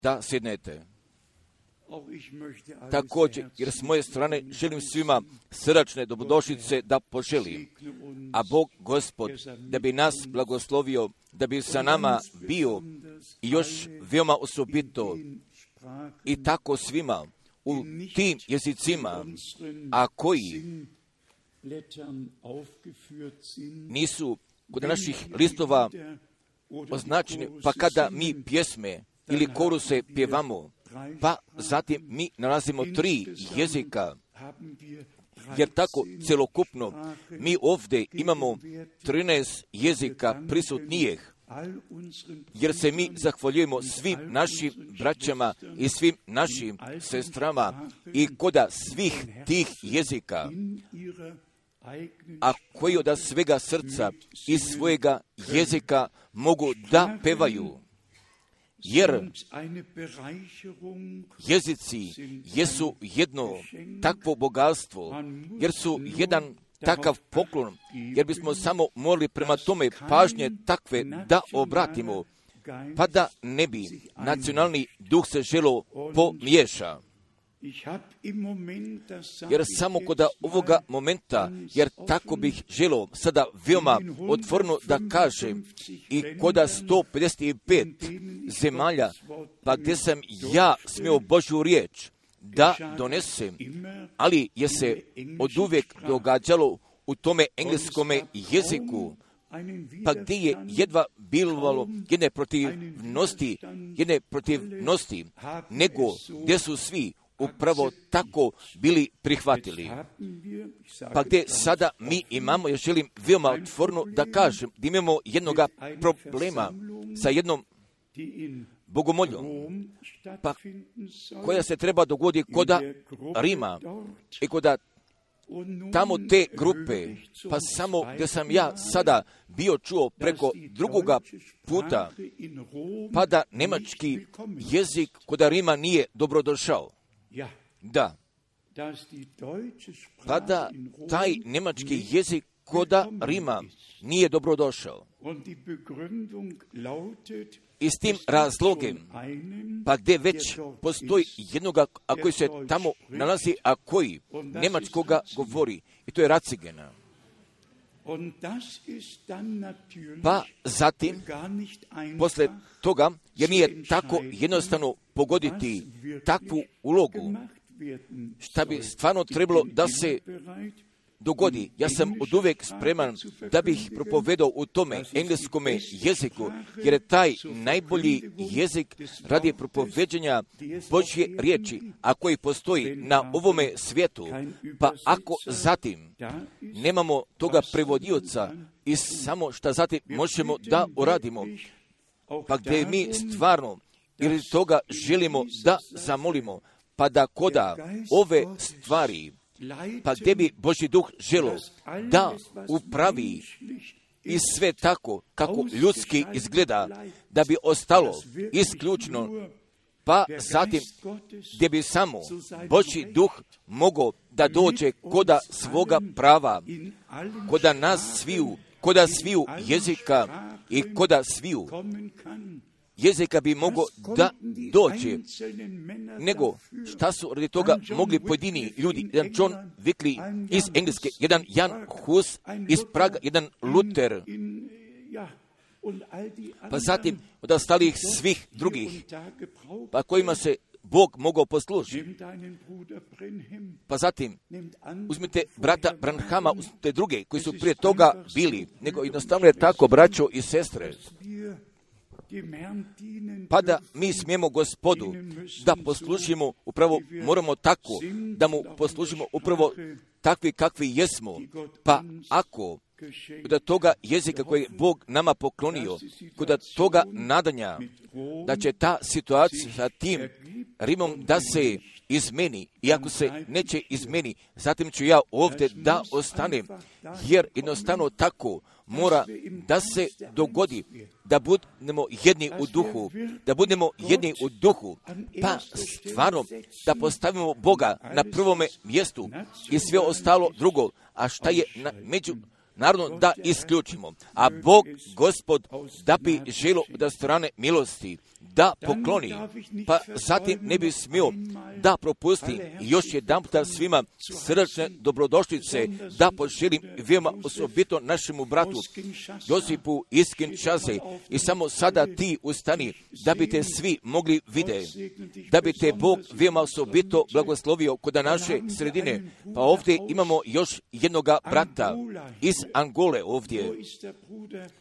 da sjednete. Također, jer s moje strane želim svima srdačne dobrodošlice da poželim, a Bog Gospod da bi nas blagoslovio, da bi sa nama bio i još veoma osobito i tako svima u tim jezicima, a koji nisu kod naših listova označeni, pa kada mi pjesme ili koruse pjevamo, pa zatim mi nalazimo 3 jezika, jer tako celokupno mi ovdje imamo 13 jezika prisutnijih, jer se mi zahvaljujemo svim našim braćama i svim našim sestrama i koda svih tih jezika, a koji od svega srca i svojega jezika mogu da pevaju. Jer jezici jesu jedno takvo bogatstvo, jer su jedan takav poklon, jer bismo samo morali prema tome pažnje takve da obratimo, pa da ne bi nacionalni duh se želo pomiješa. Jer samo kod ovoga momenta, jer tako bih želo sada veoma otvoreno da kažem, i kod 155 zemalja, pa gdje sam ja smio Božju riječ da donesem, ali je se oduvijek događalo u tome engleskome jeziku, pa gdje je jedva bilo jedne protivnosti, nego gdje su svi upravo tako bili prihvatili. Pa gdje sada mi imamo, ja želim veoma otvoreno da kažem, da imamo jednoga problema sa jednom bogomoljom, pa koja se treba dogoditi koda Rima i koda tamo te grupe, pa samo gdje sam ja sada bio čuo preko drugoga puta, pa da njemački jezik koda Rima nije dobrodošao. Da, pa da taj njemački jezik koda Rima nije dobrodošao. I s tim razlogom, pa gdje već postoji jednoga, a koji se tamo nalazi, a koji njemačkoga govori, i to je Ratzigena. Pa zatim, posle toga, jer nije tako jednostavno pogoditi takvu ulogu, šta bi stvarno trebalo da se dogodi. Ja sam oduvijek spreman da bih propovedao u tome engleskome jeziku, jer je taj najbolji jezik radi propoveđenja Božje riječi, a koji postoji na ovome svijetu. Pa ako zatim nemamo toga prevodioca i samo šta zatim možemo da uradimo, pa gdje mi stvarno ili toga želimo da zamolimo, pa da koda ove stvari, pa gdje bi Božji duh želo da upravi i sve tako kako ljudski izgleda, da bi ostalo isključno, pa zatim gdje bi samo Božji duh mogao da dođe koda svoga prava, koda nas sviju, koda sviju jezika i koda sviju jezika bi mogao da dođe, nego šta su radi toga mogli pojedini ljudi, jedan John Wycliffe iz Engleske, jedan Jan Hus iz Praga, jedan Luther, pa zatim od ostalih svih drugih, pa kojima se Bog mogao poslužiti. Pa zatim uzmite brata Branhama, uzmite druge koji su prije toga bili, nego jednostavno je tako, braćo i sestre, pa da mi smijemo Gospodu da poslužimo, upravo moramo tako da mu poslužimo upravo takvi kakvi jesmo. Pa ako kod toga jezika koji je Bog nama poklonio, kod toga nadanja da će ta situacija sa tim Rimom da se izmeni, i ako se neće izmeni, zatim ću ja ovdje da ostanem, jer jednostavno tako mora da se dogodi, da budemo jedni u duhu, pa stvarno da postavimo Boga na prvome mjestu i sve ostalo drugo, a šta je naravno da isključimo. A Bog, Gospod, da bi želo da strane milosti da pokloni, pa zatim ne bi smio da propustim još jedan puta svima srdačne dobrodošlice da poželim veoma osobito našemu bratu Josipu iz Kinshase i samo sada ti ustani da bi te svi mogli vide, da bi te Bog veoma osobito blagoslovio kod naše sredine. Pa ovdje imamo još jednoga brata iz Angole ovdje,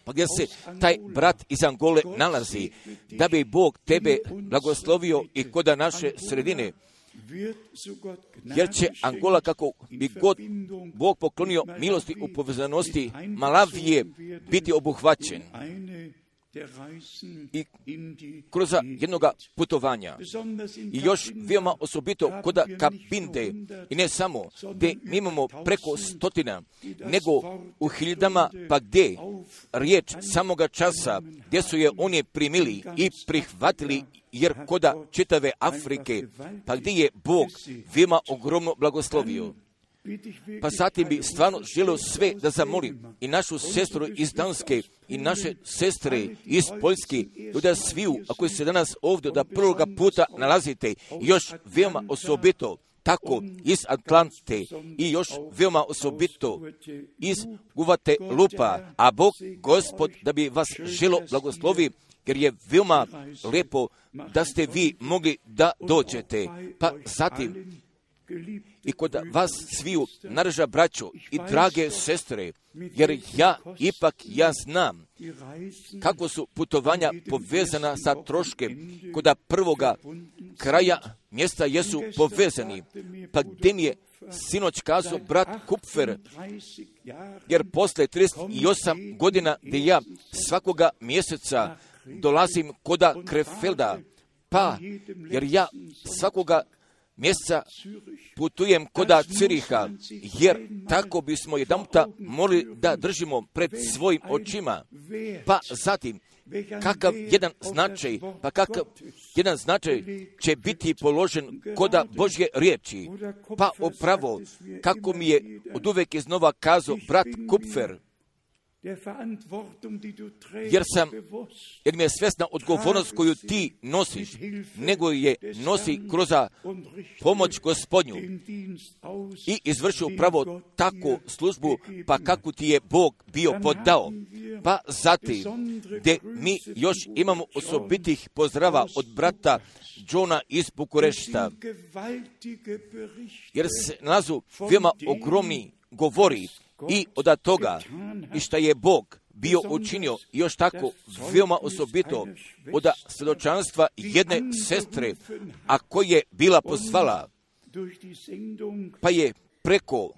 pa gdje se taj brat iz Angole nalazi, da bi Bog tebe blagoslovio i kod naše sredine, jer će Angola, kako bi god Bog poklonio milosti u povezanosti Malavije, biti obuhvaćen i kroz jednoga putovanja. I još veoma osobito kod Kabinde, i ne samo, gdje mi imamo preko 100, nego u hiljadama, pa gdje riječ samoga časa, gdje su je oni primili i prihvatili, jer koda čitave Afrike, pa gdje je Bog veoma ogromno blagoslovio. Pa zatim bi stvarno želio sve da zamolim i našu sestru iz Danske i naše sestre iz Poljske, da sviju, ako se danas ovdje da prvoga puta nalazite, još veoma osobito tako iz Atlante i još veoma osobito iz Guvate Lupa, a Bog Gospod da bi vas želo blagoslovi, jer je veoma lijepo da ste vi mogli da dođete. Pa zatim i kod vas sviju, narža braćo i drage sestre, jer ja znam kako su putovanja povezana sa troškem, kod prvoga kraja mjesta jesu povezani. Pa gdje mi je sinoć kazao brat Kupfer, jer posle 38 godina gdje ja svakoga mjeseca dolazim koda Krefelda, pa jer ja svakoga mjeseca putujem koda Ciriha, jer tako bismo jedanputa morali da držimo pred svojim očima. Pa zatim, kakav jedan značaj će biti položen koda Božje riječi. Pa upravo, kako mi je od uvek iznova kazao brat Kupfer, jer mi je svjesna odgovornost koju ti nosiš, nego je nosi kroz pomoć Gospodnju i izvrši upravo takvu službu, pa kako ti je Bog bio podao. Pa zatim, gdje mi još imamo osobitih pozdrava od brata Johna iz Bukurešta, jer se nalazu veoma ogromni govori i od toga i šta je Bog bio učinio još tako veoma osobito od svjedočanstva jedne sestre, a koja je bila pozvala, pa je preko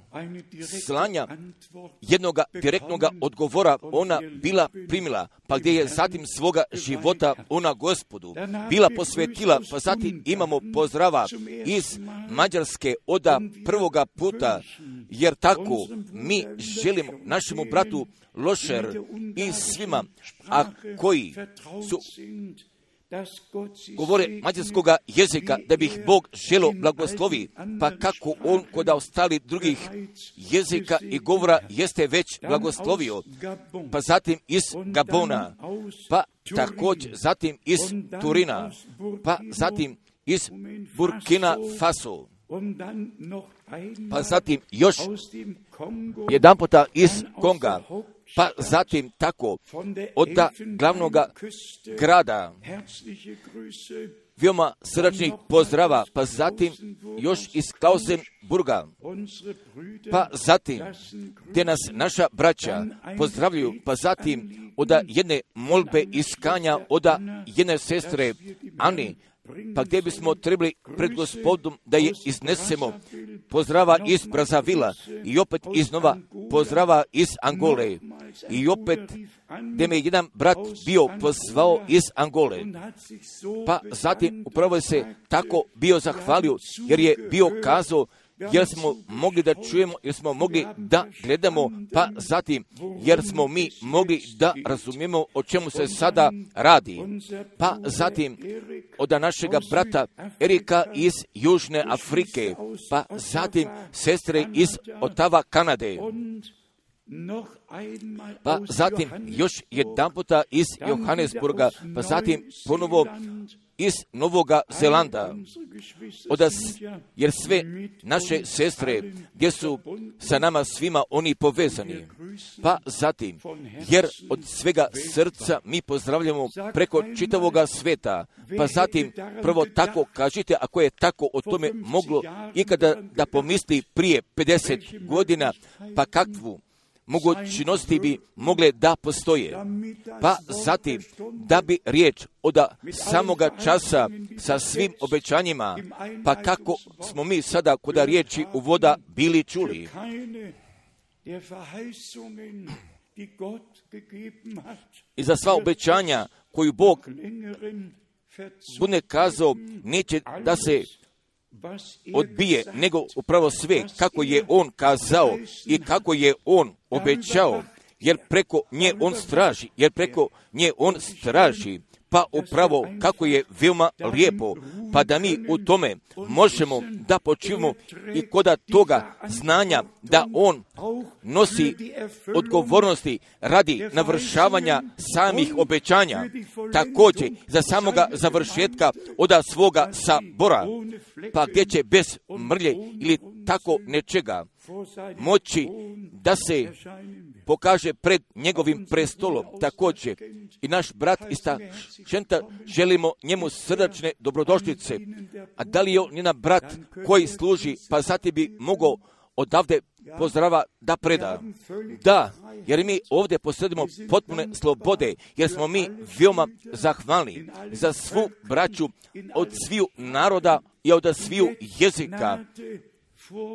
slanja jednog direktnog odgovora ona bila primila, pa gdje je zatim svoga života ona Gospodu bila posvetila. Pa zatim imamo pozdrava iz Mađarske od prvoga puta, jer tako mi želimo našemu bratu Lošer i svima, a koji su govore mađarskoga jezika, da bi ih Bog želo blagoslovi, pa kako on kod ostali drugih jezika i govora jeste već blagoslovio, pa zatim iz Gabona, pa također zatim iz Turina, pa zatim iz Burkina Faso, pa zatim još jedan puta iz Konga, pa zatim tako od glavnog grada veoma srdačnih pozdrava, pa zatim još iz Klausenburga, pa zatim gdje nas naša braća pozdravljaju, pa zatim od jedne molbe iskanja od jedne sestre Ani, pa gdje bismo trebali pred Gospodom da je iznesemo, pozdrava iz Brazavila i opet iznova pozdrava iz Angole i opet gdje me jedan brat bio pozvao iz Angole, pa zatim upravo se tako bio zahvalio, jer je bio kazao, jer smo mogli da čujemo, jer smo mogli da gledamo, pa zatim jer smo mi mogli da razumijemo o čemu se sada radi. Pa zatim od našega brata Erika iz Južne Afrike, pa zatim sestre iz Otava, Kanade. pa zatim još jedan puta iz Johannesburga, pa zatim ponovo iz Novoga Zelanda, jer sve naše sestre gdje su sa nama svima oni povezani, pa zatim, jer od svega srca mi pozdravljamo preko čitavoga sveta, pa zatim prvo tako kažite, ako je tako o tome moglo ikada da pomisli prije 50 godina, pa kakvu mogućnosti bi mogle da postoje. Pa zatim, da bi riječ od samoga časa sa svim obećanjima, pa kako smo mi sada kod riječi uvoda bili čuli. I za sva obećanja koju Bog bude kazao, neće da se odbije, nego upravo sve kako je On kazao i kako je On obećao, jer preko nje On straži, pa upravo kako je veoma lijepo, pa da mi u tome možemo da počivamo i koda toga znanja da On nosi odgovornosti radi navršavanja samih obećanja, također za samoga završetka od svoga sabora, pa gdje će bez mrlje ili tako nečega moći da se pokaže pred njegovim prestolom. Također i naš brat iz Taškenta želimo njemu srdačne dobrodošlice. A da li je on njena brat koji služi, pa zatim bi mogao odavde pozdrava da preda. Da, jer mi ovdje posjedimo potpune slobode, jer smo mi veoma zahvalni za svu braću od sviju naroda i od sviju jezika,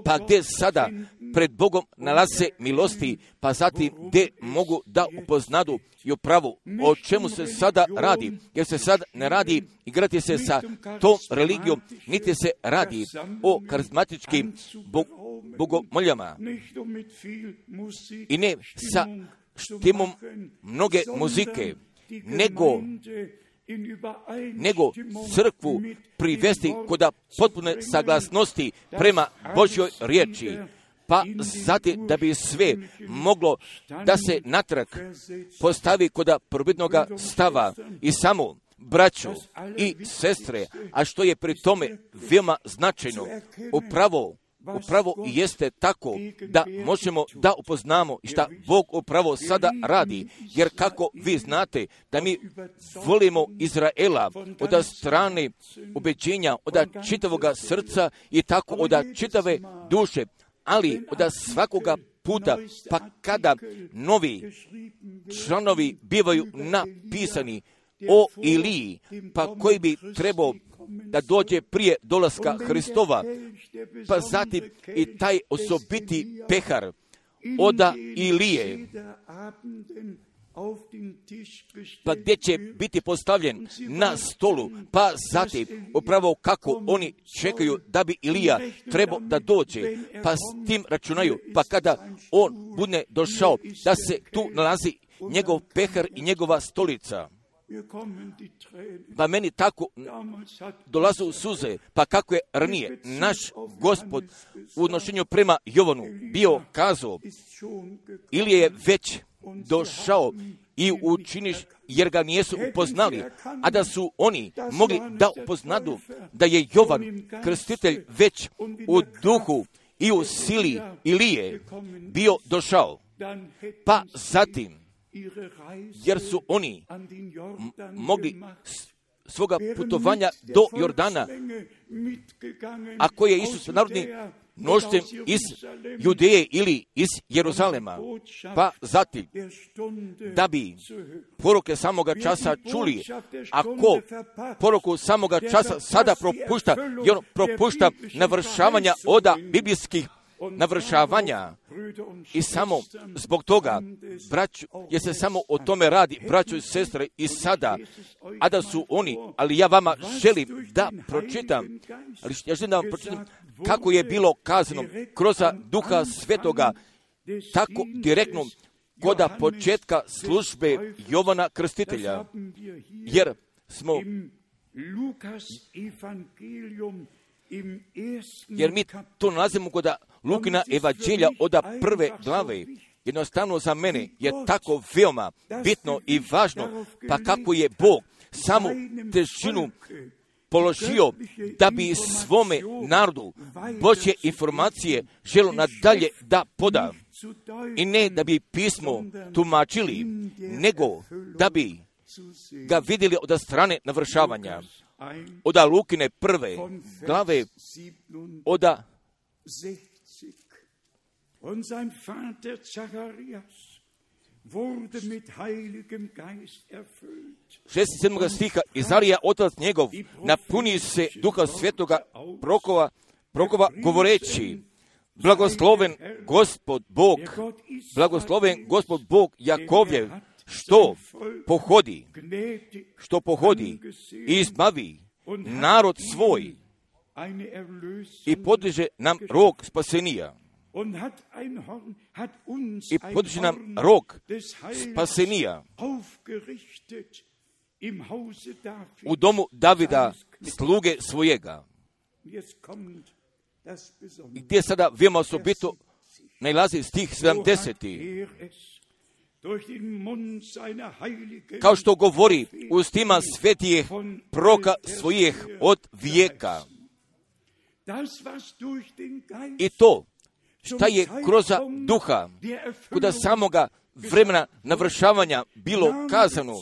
pa gdje sada pred Bogom nalaze milosti, pa zatim gdje mogu da upoznadu i upravo o čemu se sada radi, jer se sad ne radi igrati se sa tom religijom, niti se radi o karizmatičkim bogomoljama i ne sa štimom mnoge muzike, nego crkvu privesti kod potpune saglasnosti prema Božjoj riječi, pa zatim da bi sve moglo da se natrag postavi kod prvobitnoga stava i samo braćo i sestre, a što je pri tome veoma značajno, upravo jeste tako da možemo da upoznamo šta Bog upravo sada radi, jer kako vi znate da mi volimo Izraela od strane ubeđenja, od čitavoga srca i tako od čitave duše, ali od svakoga puta, pa kada novi članovi bivaju napisani o Iliji, pa koji bi trebao da dođe prije dolaska Hristova, pa zatim i taj osobiti pehar oda Ilije, pa gdje će biti postavljen na stolu, pa zatim upravo kako oni čekaju da bi Ilija trebao da dođe, pa s tim računaju, pa kada on bude došao, da se tu nalazi njegov pehar i njegova stolica. Pa meni tako dolaze u suze, pa kako je ranije naš Gospod u odnošenju prema Jovanu bio kazao, ili je već došao i učiniš, jer ga nijesu upoznali, a da su oni mogli da upoznadu da je Jovan krstitelj već u duhu i u sili Ilije bio došao, pa zatim jer su oni mogli svoga putovanja do Jordana, a koje je Isus narodni množstvom iz Judeje ili iz Jeruzalema, pa zatim da bi poruke samoga časa čuli, ako poruku samoga časa sada propušta, i on propušta navršavanja oda biblijskih navršavanja i samo zbog toga, braću, jer se samo o tome radi, braćo i sestre, i sada, a da su oni, ali ja vama želim da pročitam, kako je bilo kazano kroz Duha Svetoga, tako direktno koda početka službe Jovana Krstitelja, jer smo jer mi to nalazimo kod Lukina evanđelja od prve glave jednostavno za mene je tako veoma bitno i važno, pa kako je Bog samu težinu položio da bi svome narodu Božje informacije želo nadalje da poda. I ne da bi pismo tumačili, nego da bi ga vidjeli od strane navršavanja. Od Lukine 1. glave, od Und sein Vater Zacharias wurde mit heiligem Geist erfüllt. 6. stiha, Izarija, otac njegov, napuni se Duha Svetoga prokova govoreći, blagosloven Gospod Bog Jakovljev, što pohodi i izbavi narod svoj i podiže nam rog spasenija. I podiže nam rog spasenija u domu Davida, sluge svojega. I gdje sada veoma osobito najlazi stih 70. Kao što govori ustima svetijih proka svojih od vijeka. I to šta je kroz duha, kuda samoga vremena navršavanja bilo kazano,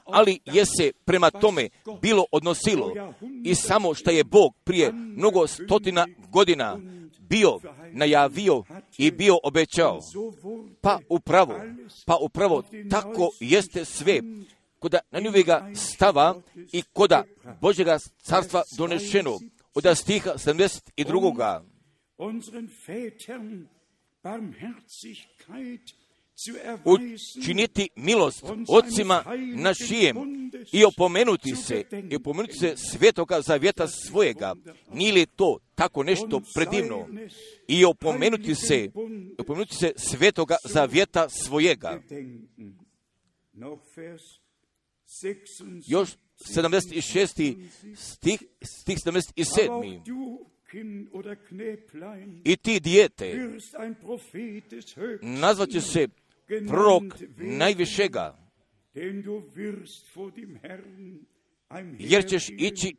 ali je se prema tome bilo odnosilo i samo što je Bog prije mnogo stotina godina bio najavio i bio obećao. Pa upravo tako jeste sve kuda na njega stava i kuda Božjega carstva donešeno od stiha 72. Učiniti milost ocima našijem i opomenuti se svetoga zavjeta svojega. Nije li to tako nešto predivno? I opomenuti se svetoga zavjeta svojega. Još 76. stih 77. I ti dijete nazvat će se prorok najvišega, jer ćeš ići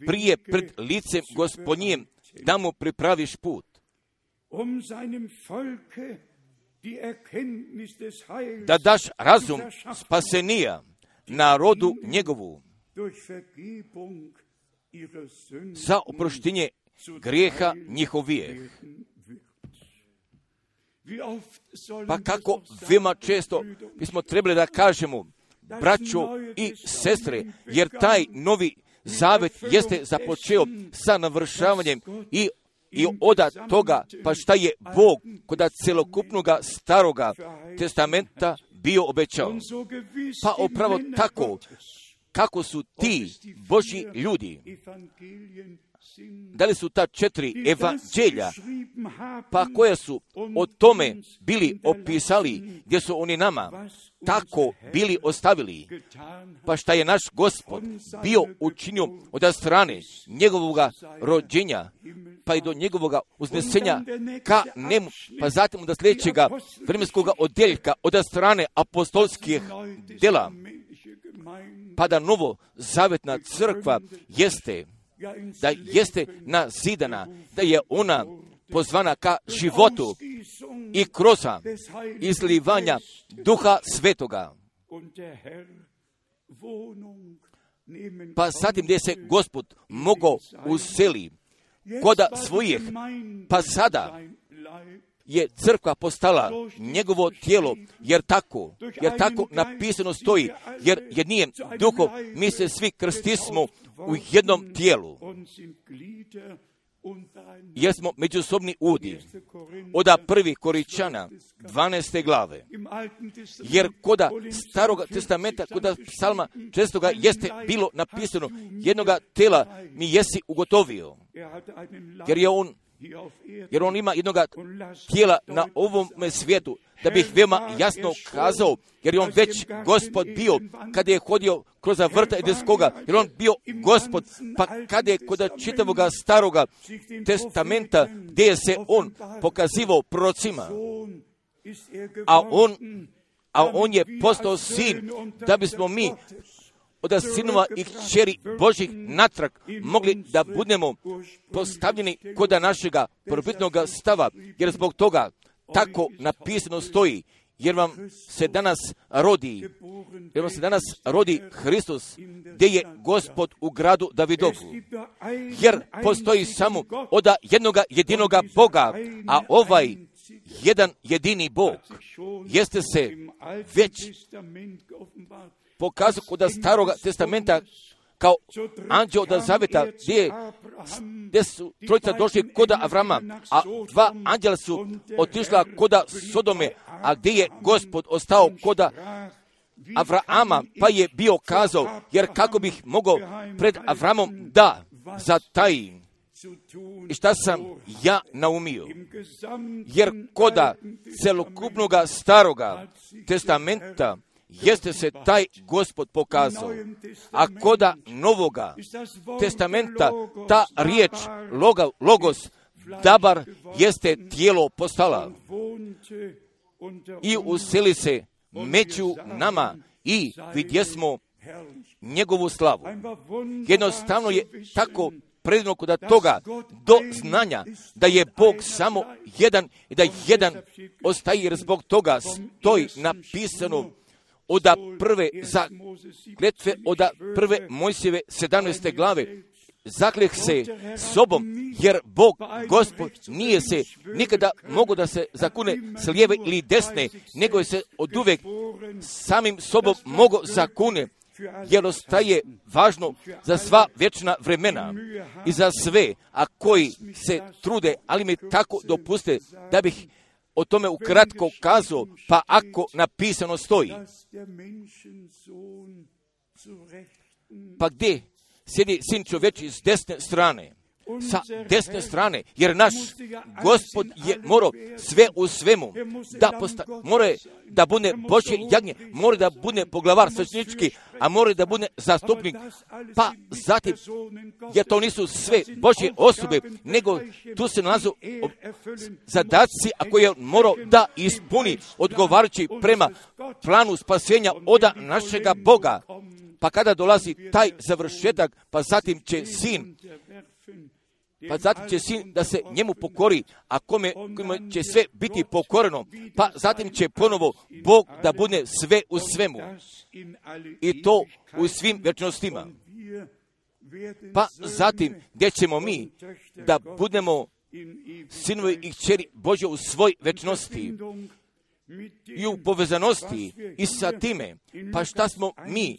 prije pred licem Gospodnjim da mu pripraviš put. Da daš razum spasenija narodu njegovu za oproštenje grijeha njihovijeh. Pa kako veoma često bismo trebali da kažemo, braćo i sestre, jer taj novi zavet jeste započeo sa navršavanjem i od toga, pa šta je Bog kod celokupnoga staroga testamenta bio obećao. Pa upravo tako, kako su ti Božji ljudi, da li su ta 4 evanđelja, pa koja su o tome bili opisali, gdje su oni nama tako bili ostavili, pa šta je naš Gospod bio učinio od strane njegovoga rođenja, pa i do njegovoga uznesenja ka nemu, pa zatim od sljedećega vremenskoga odjeljka od strane apostolskih djela, pa da novo zavetna crkva jeste nazidana, da je ona pozvana ka životu i kroz izlivanja Duha Svetoga. Pa zatim gdje se Gospod mogao useli koda svojih, pa sada je crkva postala njegovo tijelo, jer tako napisano stoji, jer jednijem duhom mi se svi krstismo u jednom tijelu, jer smo međusobni udi. Od 1. Koričana 12. glave, jer koda staroga testamenta, koda psalma 6. jeste bilo napisano, jednoga tela mi jesi ugotovio, jer on ima jednoga tijela na ovome svijetu, da bih veoma jasno kazao, jer je on već Gospod bio kada je hodio kroz vrta Edenskoga, jer on bio Gospod, pa kada je kod čitavoga staroga testamenta, gdje je se on pokazivao prorocima, a on je postao sin, da bismo mi od sinova i kćeri Božih natrag mogli da budemo postavljeni kod našega prvobitnog stava, jer zbog toga tako napisano stoji, jer vam se danas rodi Hristos, gdje je Gospod u gradu Davidovu. Jer postoji samo od jednoga jedinoga Boga, a ovaj jedan jedini Bog jeste se već pokazao kod Staroga testamenta kao anđeo od zaveta, gdje su trojica došli kod Avrama, a 2 anđela su otišla kod Sodome, a gdje je Gospod ostao kod Avrama, pa je bio kazao, jer kako bih mogao pred Avramom da zatajim. I šta sam ja naumio? Jer koda celokupnog Staroga testamenta jeste se taj Gospod pokazao, a koda Novoga testamenta ta riječ Logos, Dabar, jeste tijelo postala i useli se među nama i vidjesmo njegovu slavu. Jednostavno je tako predivno kod toga do znanja da je Bog samo jedan i da jedan ostaje, jer zbog toga stoji napisano od prve zakletve, od prve Mojsijeve 17. glave. Zakleh se sobom, jer Bog, Gospod, nije se nikada mogo da se zakune s lijeve ili desne, nego je se oduvek samim sobom mogo zakune, jer ostaje važno za sva vječna vremena i za sve, a koji se trude, ali mi tako dopuste da bih o tome ukratko kazao, pa ako napisano stoji. Pa gdje sjedi sin čovječi s desne strane? Sa desne strane, jer naš Gospod je morao sve u svemu mora da bude Božje jagnje, mora da bude poglavar svećenički, a mora da bude zastupnik, pa zatim, jer to nisu sve Božje osobe, nego tu se nalazu zadaci, a koje je morao da ispuni odgovarajući prema planu spasenja od našega Boga. Pa kada dolazi taj završetak, pa zatim će sin da se njemu pokori, a kome će sve biti pokoreno, pa zatim će ponovo Bog da bude sve u svemu. I to u svim vječnostima. Pa zatim, gdje ćemo mi da budemo sinovi i kćeri Božje u svoj vječnosti i u povezanosti i sa time, pa šta smo mi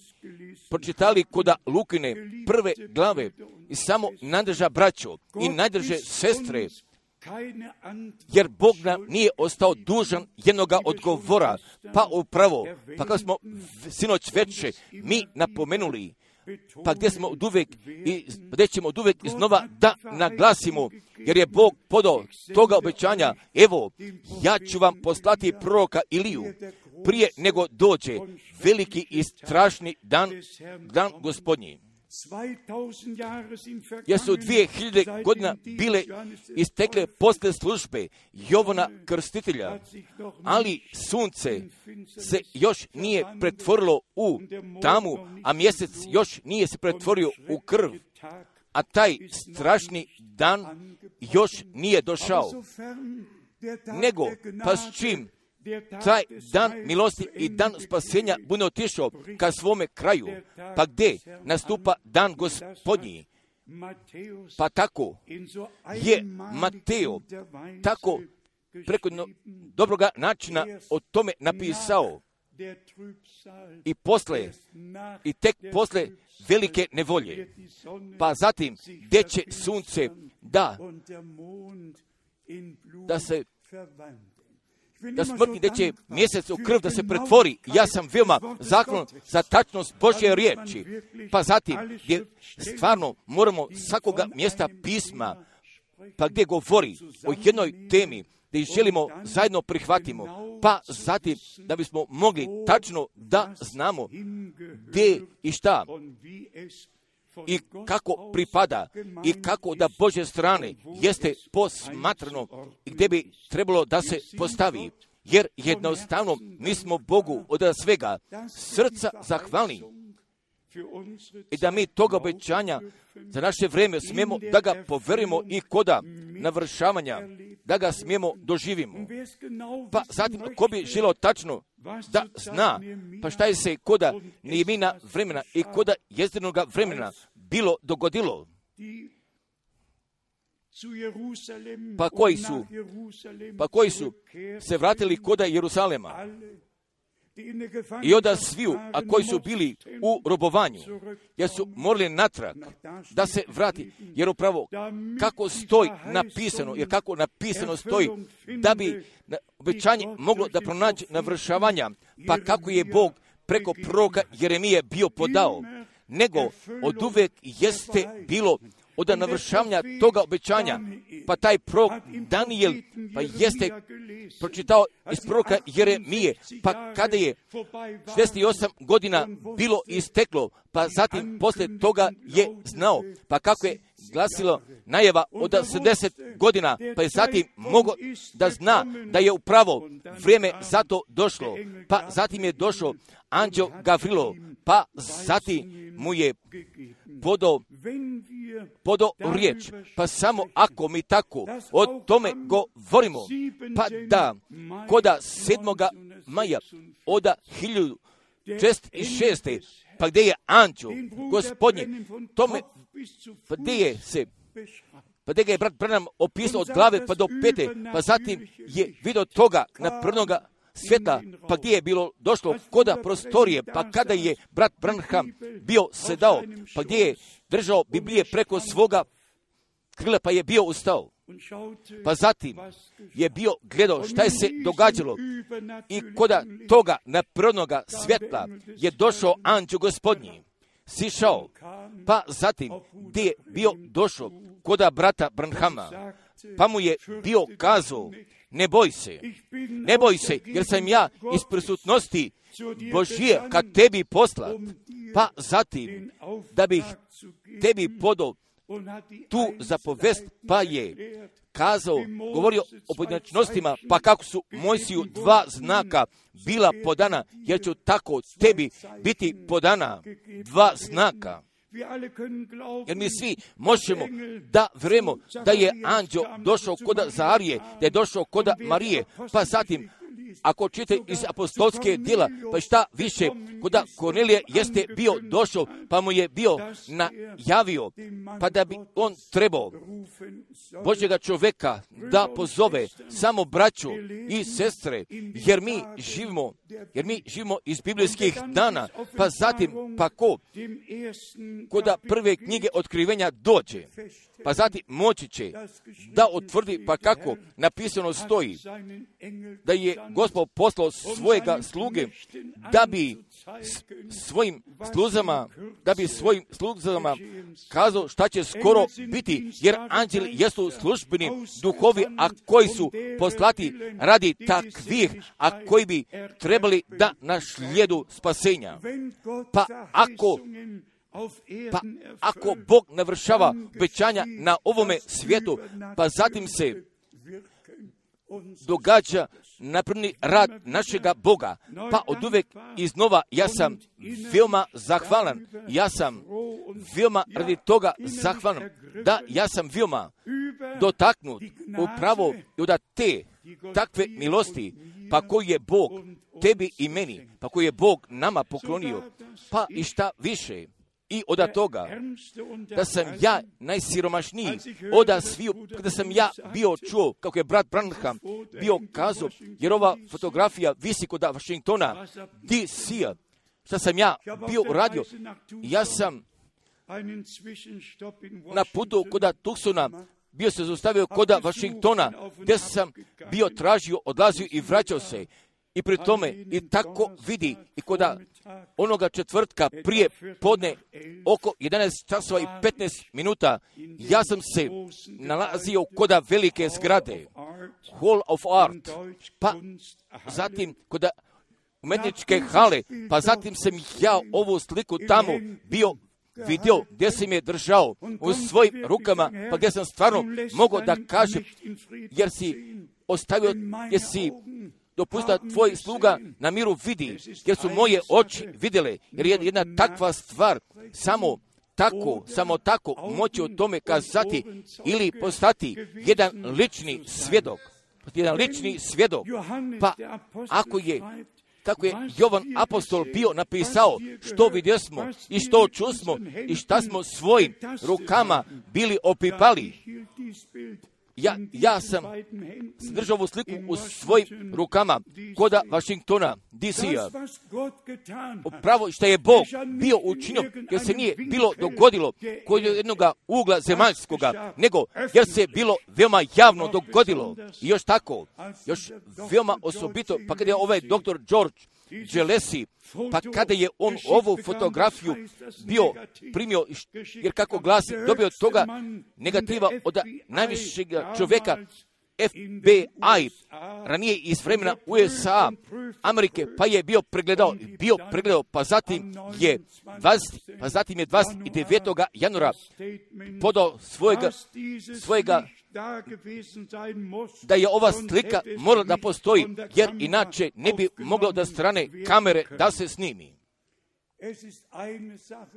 pročitali kod Lukine 1. glave i samo najdrža braćo i najdrže sestre, jer Bog nam nije ostao dužan jednoga odgovora, pa upravo, pa kao smo sinoć veče mi napomenuli, pa gdje ćemo oduvek iznova da naglasimo, jer je Bog podao toga obećanja, evo, ja ću vam poslati proroka Iliju, prije nego dođe veliki i strašni dan Gospodnji. Jer su 2000 godina bile istekle posle službe Jovana Krstitelja, ali sunce se još nije pretvorilo u tamu, a mjesec još nije se pretvorio u krv, a taj strašni dan još nije došao. Nego, pa s čim taj dan milosti i dan spasenja bude otišao ka svome kraju, pa gdje nastupa dan Gospodnji? Pa tako je Mateo tako preko dobroga načina o tome napisao i tek posle velike nevolje, pa zatim gdje će sunce da smrti, gdje će mjesec u krv da se pretvori. Ja sam veoma zahvalan za tačnost Božje riječi. Pa zatim, gdje stvarno moramo svakoga mjesta pisma, pa gdje govori o jednoj temi, gdje želimo zajedno prihvatimo, pa zatim da bismo mogli tačno da znamo gdje i šta i kako pripada i kako da Božje strane jeste posmatrano i gdje bi trebalo da se postavi. jer jednostavno mi smo Bogu od svega srca zahvalni i da mi toga obećanja za naše vrijeme smijemo da ga poverimo i koda navršavanja, da ga smijemo doživimo. Pa zatim, ko bi želio tačno da zna, pa šta je se koda Nehemijina vremena i koda Jezdinoga vremena bilo dogodilo, pa koji su se vratili koda Jerusalema, i onda sviju, a koji su bili u robovanju, jer su morali natrag da se vrati, jer upravo kako stoji napisano, jer kako napisano stoji, da bi obećanje moglo da pronađe navršavanja, pa kako je Bog preko proroka Jeremije bio podao, nego od uvek jeste bilo od navršavanja toga obećanja, pa taj prorok Danijel, pa jeste pročitao iz proroka Jeremije, pa kada je 68 godina bilo isteklo, pa zatim posle toga je znao, pa kako je glasilo najava od 70 godina, pa je zatim mogao da zna da je upravo vrijeme za to došlo, pa zatim je došao anđeo Gavrilo, pa zatim mu je podao riječ. Pa samo ako mi tako o tome govorimo, pa da koda 7. maja od 1606. pa gdje je anđeo Gospodnje, tome, pa gdje ga je brat Branham opisao od glave pa do pete, pa zatim je vidio toga na prvoga svjetla, pa gdje je bilo došlo koda prostorije, pa kada je brat Branham bio sedao, pa gdje je držao Biblije preko svoga krila, pa je bio ustao. Pa zatim je bio gledao šta je se događalo i koda toga na prvoga svjetla je došao anđeo Gospodnji, sišao, pa zatim gdje je bio došao koda brata Branhama, pa mu je bio kazao, ne boj se, jer sam ja iz prisutnosti Božije kad tebi poslat, pa zatim da bih tebi podao tu zapovest, pa je kazao, govorio o pojedinačnostima, pa kako su Mojsiju 2 znaka bila podana, jer će tako tebi biti podana 2 znaka. Jer mi svi možemo da vjerujemo da je anđeo došao koda Zaharije, da je došao koda Marije, pa zatim ako čitate iz apostolske djela, pa šta više, koda Kornelije jeste bio došao, pa mu je bio najavio, pa da bi on trebao Božjega čovjeka da pozove samo braću i sestre, jer mi živimo iz biblijskih dana, pa zatim pa koda prve knjige otkrivenja dođe, pa zatim moći će da otvrdi, pa kako napisano stoji, da je Gospod poslao svojega sluge da bi svojim sluzama kazao šta će skoro biti, jer anđeli jesu službeni duhovi, a koji su poslati radi takvih, a koji bi trebali da našlijedu spasenja. Pa ako Bog navršava obećanja na ovome svijetu, pa zatim se događa napravni rad našega Boga, pa od uvek iznova ja sam veoma zahvalan, ja sam veoma radi toga zahvalan, da ja sam veoma dotaknut upravo od te takve milosti, pa koji je Bog tebi i meni, pa koji je Bog nama poklonio, pa i šta više. I od toga, da sam ja najsiromašniji od sviju, kada sam ja bio čuo, kako je brat Branham bio kazao, jer ova fotografija visi kod Washingtona, DC-a, šta sam ja bio uradio, ja sam na putu kod Tucsona bio se zaustavio kod Washingtona, gdje sam bio tražio, odlazio i vraćao se. I pri tome i tako vidi i koda onoga četvrtka prije podne oko 11 časova i 15 minuta ja sam se nalazio koda velike zgrade Hall of Art, pa zatim koda umetničke hale, pa zatim sam ja ovu sliku tamo bio vidio gdje sam je držao u svojim rukama, pa gdje sam stvarno mogao da kažem, jer si ostavio, jer si dopusta tvoj sluga na miru vidi, jer su moje oči vidjele, jer je jedna takva stvar samo tako moći o tome kazati ili postati jedan lični svjedok. Pa kako je Jovan apostol bio napisao što vidjesmo i što čusmo i šta smo svojim rukama bili opipali. Ja sam držao ovu sliku u svojim rukama koda Washingtona, DC-a. Upravo što je Bog bio učinio, jer se nije bilo dogodilo kod jednog ugla zemaljskoga, nego jer se bilo veoma javno dogodilo. I još veoma osobito, pa kada je ovaj doktor George Gelesi, pa kada je on ovu fotografiju bio primio, jer kako glasi, dobio toga negativa od najvišeg čovjeka FBI, ranije iz vremena USA, Amerike, pa je bio pregledao, pa zatim je 29. januara podao svojega da je ova slika morala da postoji, jer inače ne bi moglo da strane kamere da se snimi.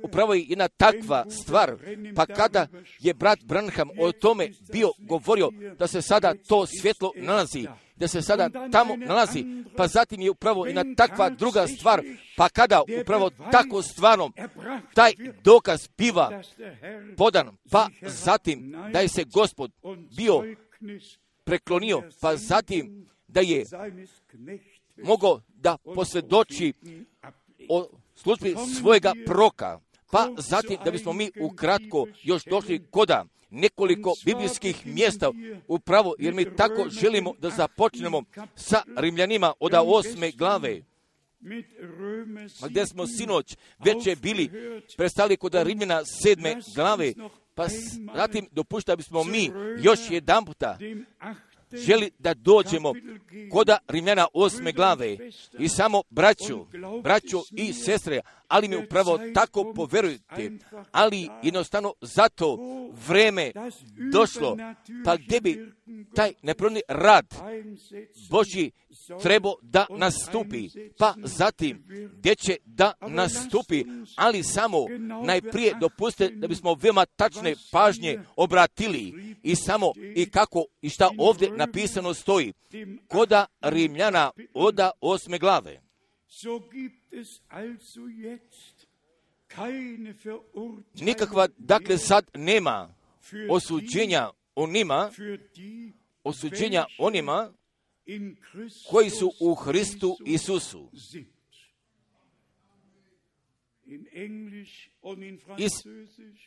Upravo je jedna takva stvar, pa kada je brat Branham o tome bio govorio da se sada to svjetlo nalazi, da se sada tamo nalazi, pa zatim je upravo jedna takva druga stvar, pa kada upravo tako stvarno taj dokaz biva podan, pa zatim da je se Gospod bio preklonio, pa zatim da je mogao da posvjedoči o službi svojega proka, pa zatim da bismo mi ukratko još došli koda nekoliko biblijskih mjesta upravo, jer mi tako želimo da započnemo sa Rimljanima od 8. glave, gdje smo sinoć već bili prestali kod Rimljana 7. glave, pa zatim dopušta bismo mi još jedan puta želi da dođemo koda Rimljana 8. glave i samo braćo i sestre, ali mi upravo tako poverujte, ali jednostavno zato vreme došlo, pa gdje bi taj neprorni rad Božji trebao da nastupi, pa zatim gdje će da nastupi, ali samo najprije dopuste da bismo veoma tačne pažnje obratili i samo i kako i šta ovdje napisano stoji koda Rimljana od 8. glave. Nikakva, dakle, sad nema osuđenja onima koji su u Hristu Isusu.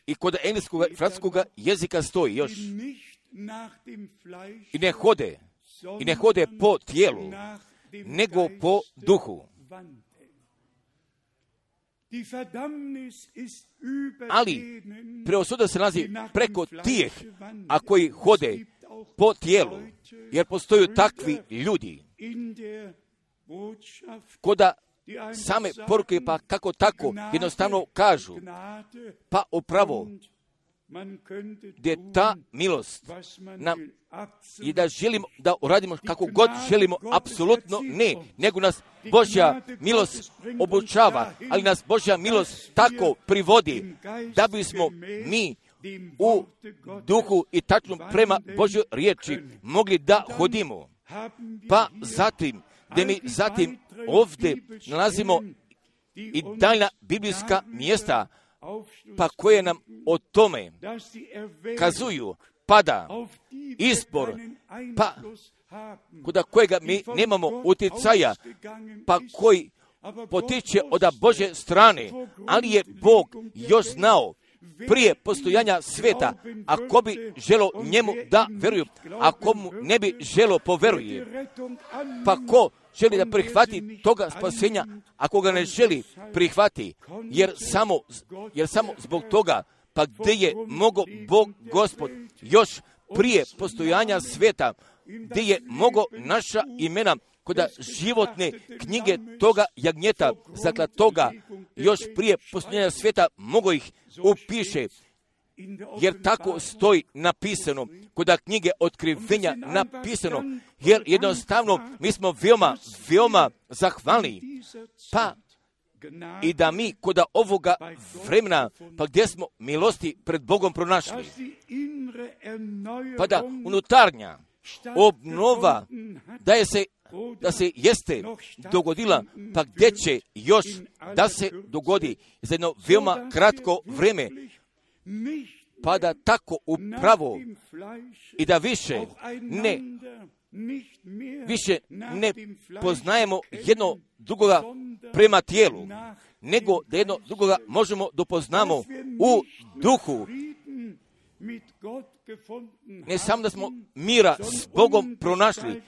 I kod engleskog i francuskog jezika stoji još i ne hode po tijelu, nego po duhu. Ali preosuda se nalazi preko tih, a koji hode po tijelu, jer postoju takvi ljudi koda same poruke, pa kako tako jednostavno kažu, pa upravo gdje ta milost nam i da želimo da uradimo kako god želimo, apsolutno ne, nego nas Božja milost obučava, ali nas Božja milost tako privodi da bismo mi u duhu i tačno prema Božjoj riječi mogli da hodimo. Pa zatim, gdje mi zatim ovdje nalazimo i daljna biblijska mjesta, pa koje nam o tome kazuju, pada izbor, pa kod kojega mi nemamo utjecaja, pa koji potiče od Božje strane, ali je Bog još znao prije postojanja sveta, ako bi želo njemu da veruju, ako mu ne bi želo poveruje, pa ko želi da prihvati toga spasenja, ako ga ne želi prihvati, jer samo zbog toga, pa gdje je mogao Bog Gospod još prije postojanja sveta, gdje je mogao naša imena kod životne knjige toga jagnjeta zaklatoga još prije postojanja sveta mogao ih upiše. jer tako stoji napisano, kod knjige Otkrivenja napisano, jer jednostavno mi smo veoma zahvalni, pa i da mi kod ovoga vremena, pa gdje smo milosti pred Bogom pronašli, pa da unutarnja obnova da se jeste dogodila, pa gdje će još da se dogodi za jedno veoma kratko vrijeme, pa da tako upravo i da više ne poznajemo jedno drugoga prema tijelu, nego da jedno drugoga možemo dopoznamo u duhu. Ne samo da smo mira s Bogom pronašli,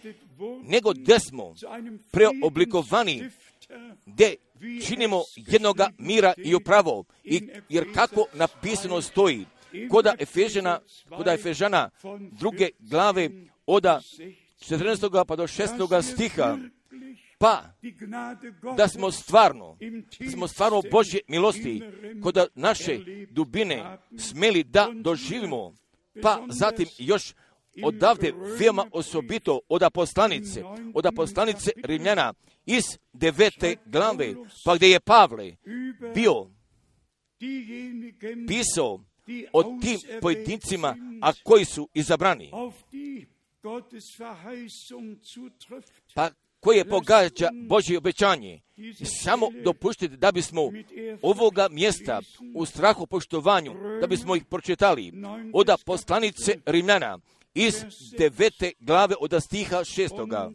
nego da smo preoblikovani, gdje činimo jednoga mira i upravo. Jer kako napisano stoji, koda Efežana 2. glave od 14. pa do 6. stiha, pa da smo stvarno Božje milosti kod naše dubine smeli da doživimo, pa zatim još odavde veoma osobito od poslanice Rimljana iz 9. glave, pa gdje je Pavle bio pisao o tim pojedincima, a koji su izabrani, pa koje pogađa Božje obećanje. Samo dopustite da bismo ovoga mjesta u strahu poštovanju, da bismo ih pročitali od poslanice Rimljana iz 9. glave od stiha 6.,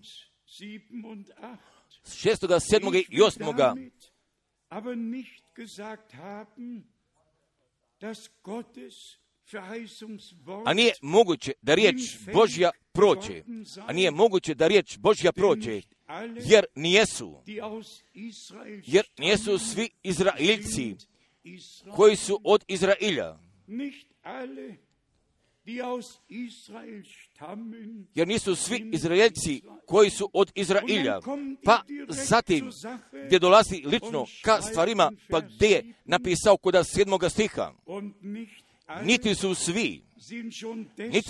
7. i 8. A nije moguće da riječ Božja prođe, jer nijesu svi Izraeljci koji su od Izrailja. Jer nisu svi Izraeljci koji su od Izrailja. Pa zatim gdje dolazi lično ka stvarima, pa gdje je napisao kod 7. stiha, niti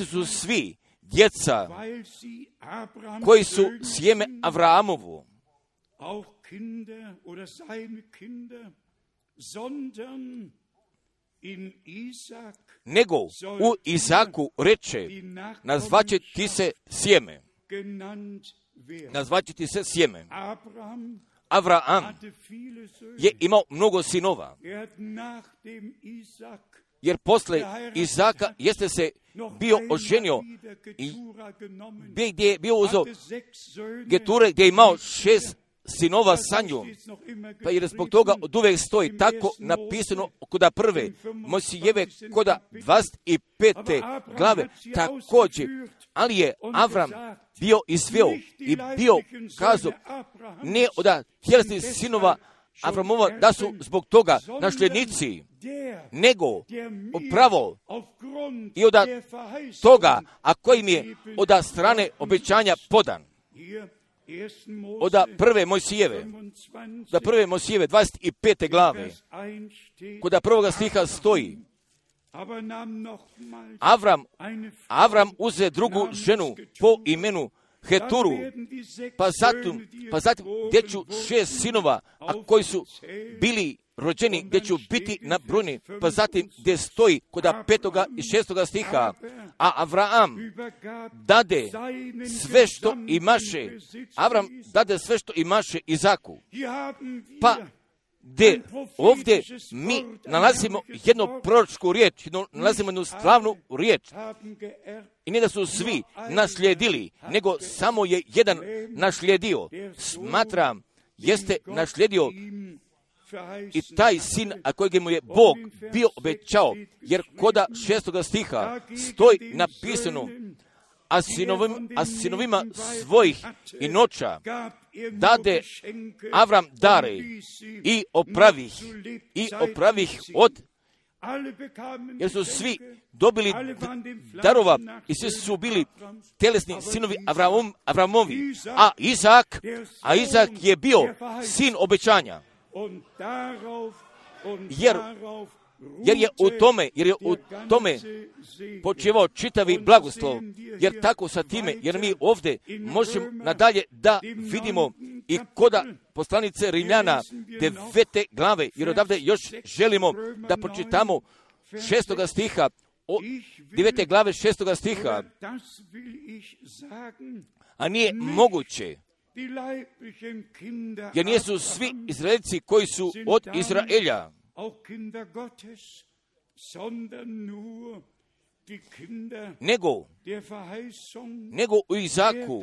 su svi djeca koji su sjeme Avrahamovu, nego u Izaku reče, nazvaće ti se sjeme. Avraham je imao mnogo sinova, jer posle Izaka jeste se bio oženio i gdje je bio uzeo Geture, gdje je imao 6 sinova sa njom, pa jer zbog toga od uvek stoji tako napisano kod prve Mojsijeve kod 25. glave također, ali je Avram bio izveo i bio kazao ne od tjelesnih sinova Avramova da su zbog toga nasljednici, nego upravo i od toga, a kojim je od strane obećanja podan. Od prve Mojsijeve 25. glave, kod prvoga stiha stoji, Avram uze drugu ženu po imenu Heturu, pa zatim gdje ću 6 sinova, a koji su bili rođeni, gdje ću biti nabrojeni, pa zatim gdje stoji kod 5. i 6. stiha, a Avraham dade sve što imaše Izaku. Pa gdje ovdje mi nalazimo jednu proročku riječ, nalazimo jednu slavnu riječ. I ne da su svi naslijedili, nego samo je jedan naslijedio. Smatram, jeste naslijedio i taj sin, a kojeg mu je Bog bio obećao, jer koda 6. stiha stoji napisano, a sinovima svojih i noća dade Avram dare i opravih od, jer su svi dobili darova i svi su bili telesni sinovi Avramovi, a Izak je bio sin obećanja. Jer jer je u tome počivao čitavi blagoslov, jer tako sa time, jer mi ovdje možemo nadalje da vidimo i koda poslanice Rimljana 9. glave, jer odavde još želimo da pročitamo 6. stiha, 9. glave 6. stiha, a nije moguće, jer nisu svi Izraelci koji su od Izraelja, nego u Izaku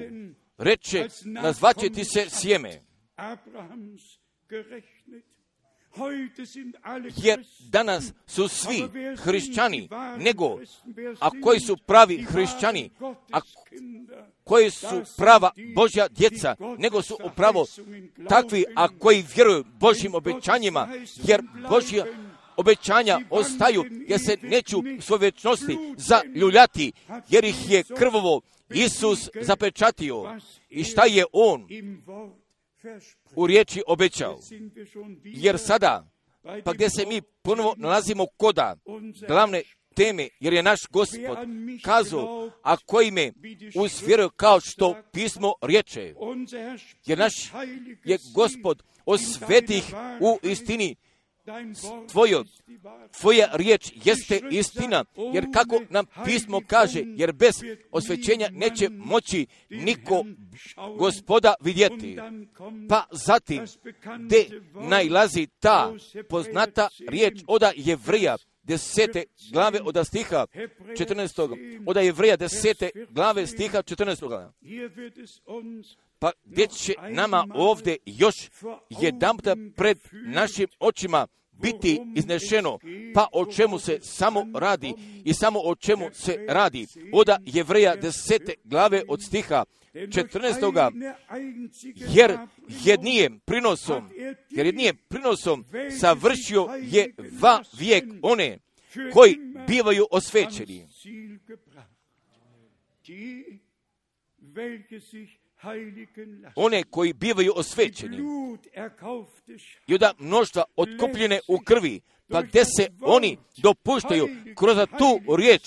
reče, nazvaće ti se sjeme. Jer danas su svi hrišćani, a koji su pravi hrišćani, a koji su prava Božja djeca, nego su upravo takvi, a koji vjeruju Božjim obećanjima, jer Božja obećanja ostaju, jer se neću u svojoj vječnosti zaljuljati, jer ih je krvovo Isus zapečatio. I šta je On u riječi obećao? Jer sada, pa gdje se mi ponovo nalazimo koda glavne teme, jer je naš Gospod kazao, a koji me usvjeruju kao što pismo riječe, jer naš je Gospod osvetih u istini, tvoja riječ jeste istina, jer kako nam pismo kaže, jer bez osvećenja neće moći niko Gospoda vidjeti. Pa zatim, gdje najlazi ta poznata riječ od Jevrija 10. glave od stiha 14. Od Jevrija 10. glave stiha 14. Pa gdje će nama ovdje još jedanputa pred našim očima biti iznešeno, pa o čemu se samo radi i samo o čemu se radi. Od Jevrija 10. glave od stiha 14. Jer jednijem prinosom savršio je vijek one koji bivaju osvećeni. One koji bivaju osvećeni i od mnoštva otkupljene u krvi, pa gdje se oni dopuštaju kroz tu riječ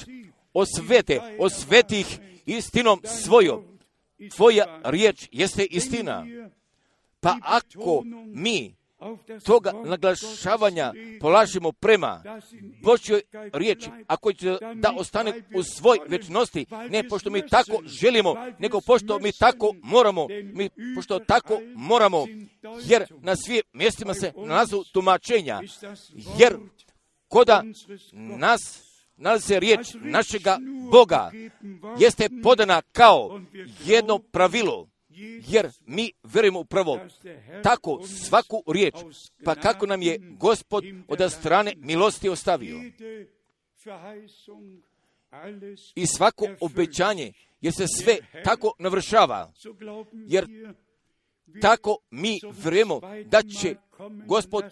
osveti ih istinom svojom. Tvoja riječ jeste istina. Pa ako mi toga naglašavanja polažemo prema Božjoj riječi, ako će da ostane u svoj vječnosti, ne pošto mi tako želimo, nego pošto mi tako moramo, jer na svim mjestima se nalazu tumačenja, jer koda nas nalazi se riječ našega Boga, jeste podana kao jedno pravilo, jer mi vjerujemo upravo tako svaku riječ, pa kako nam je Gospod od strane milosti ostavio. I svako obećanje, jer se sve tako navršava, jer tako mi vjerujemo da će Gospod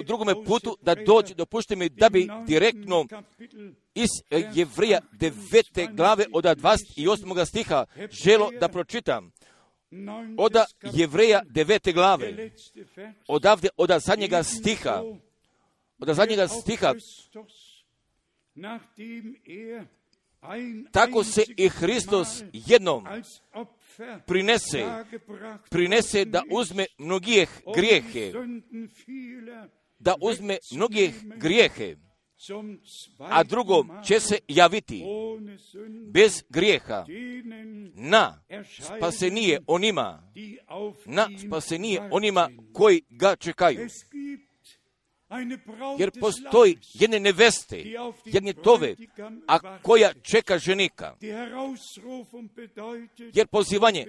u drugome putu da dođe, dopušte mi da bi direktno iz Jevrija 9. glave od 28. stiha želo da pročitam. Od Jevrija 9. glave, odavde od zadnjega stiha, tako se i Hristos jednom prinese da uzme mnogih grijehe, a drugom će se javiti bez grijeha na spasenije onima koji ga čekaju. Jer postoji jedne neveste, jedne tove, a koja čeka ženika. Jer pozivanje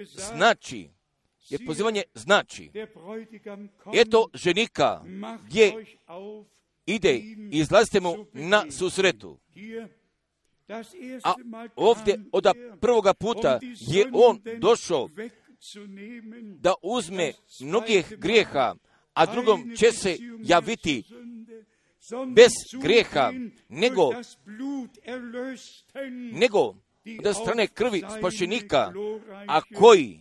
znači, eto ženika gdje ide i izlazite mu na susretu. A ovdje od prvoga puta je on došao da uzme mnogih grijeha, a drugom će se javiti bez grijeha, nego od strane krvi spašenika, a koji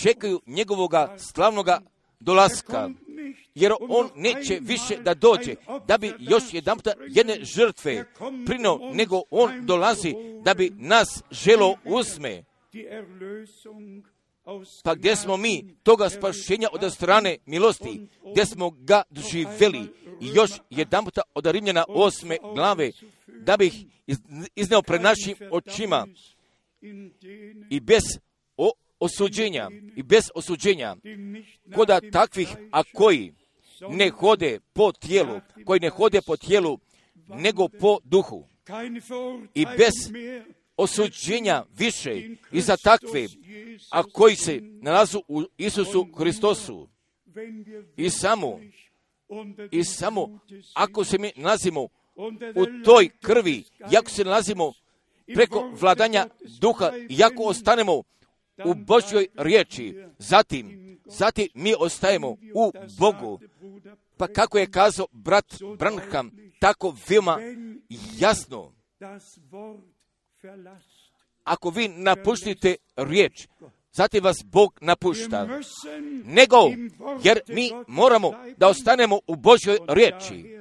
čekaju njegovoga slavnoga dolaska. jer on neće više da dođe, da bi još jedanputa jedne žrtve prinio, nego on dolazi da bi nas želo uzme. Pa gdje smo mi toga spašenja od strane milosti, gdje smo ga doživjeli, i još jedanputa od Rimljana 8. glave, da bih izneo pred našim očima i bez osuđenja, koda takvih, a koji ne hode po tijelu, nego po duhu, i bez osuđenja više i za takve, a koji se nalazu u Isusu Hristosu. I samo ako se mi nalazimo u toj krvi, i ako se nalazimo preko vladanja duha, i ako ostanemo u Božjoj riječi, zatim mi ostajemo u Bogu. Pa kako je kazao brat Branham, tako veoma jasno, ako vi napustite riječ, zatim vas Bog napušta. Nego, jer mi moramo da ostanemo u Božjoj riječi.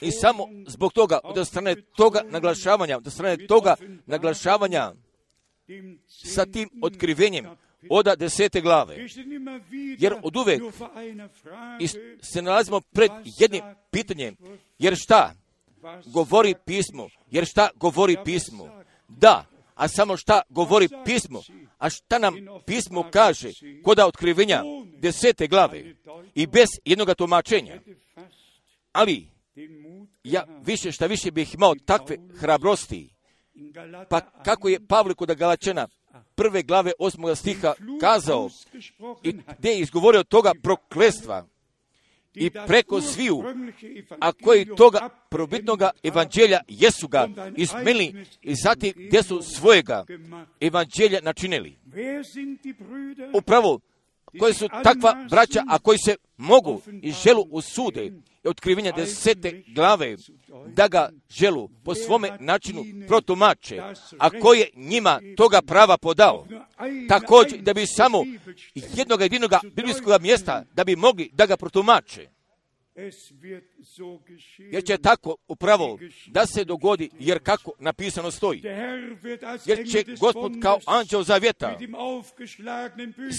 I samo zbog toga, od strane toga naglašavanja, sa tim otkrivenjem od 10. glave. Jer od uvek se nalazimo pred jednim pitanjem. Jer šta govori pismo? Da, a samo šta govori pismo? A šta nam pismo kaže kod otkrivenja 10. glave i bez jednoga tumačenja? Ali ja šta više bih imao takve hrabrosti. Pa kako je Pavle kod Galačana 1. glave 8. stiha kazao, i gdje je izgovorio toga prokletstva i preko sviju, a koji toga probitnoga evanđelja jesu ga izmenili, i zatim gdje su svojega evanđelja načinili. Upravo koji su takva braća, a koji se mogu i želu usude otkrivenja 10. glave, da ga želu po svome načinu protumače, a koji je njima toga prava podao. Također da bi samo jednog jedinog biblijskog mjesta da bi mogli da ga protumače. Jer će tako upravo da se dogodi, jer kako napisano stoji. Jer će Gospod kao anđeo zavjeta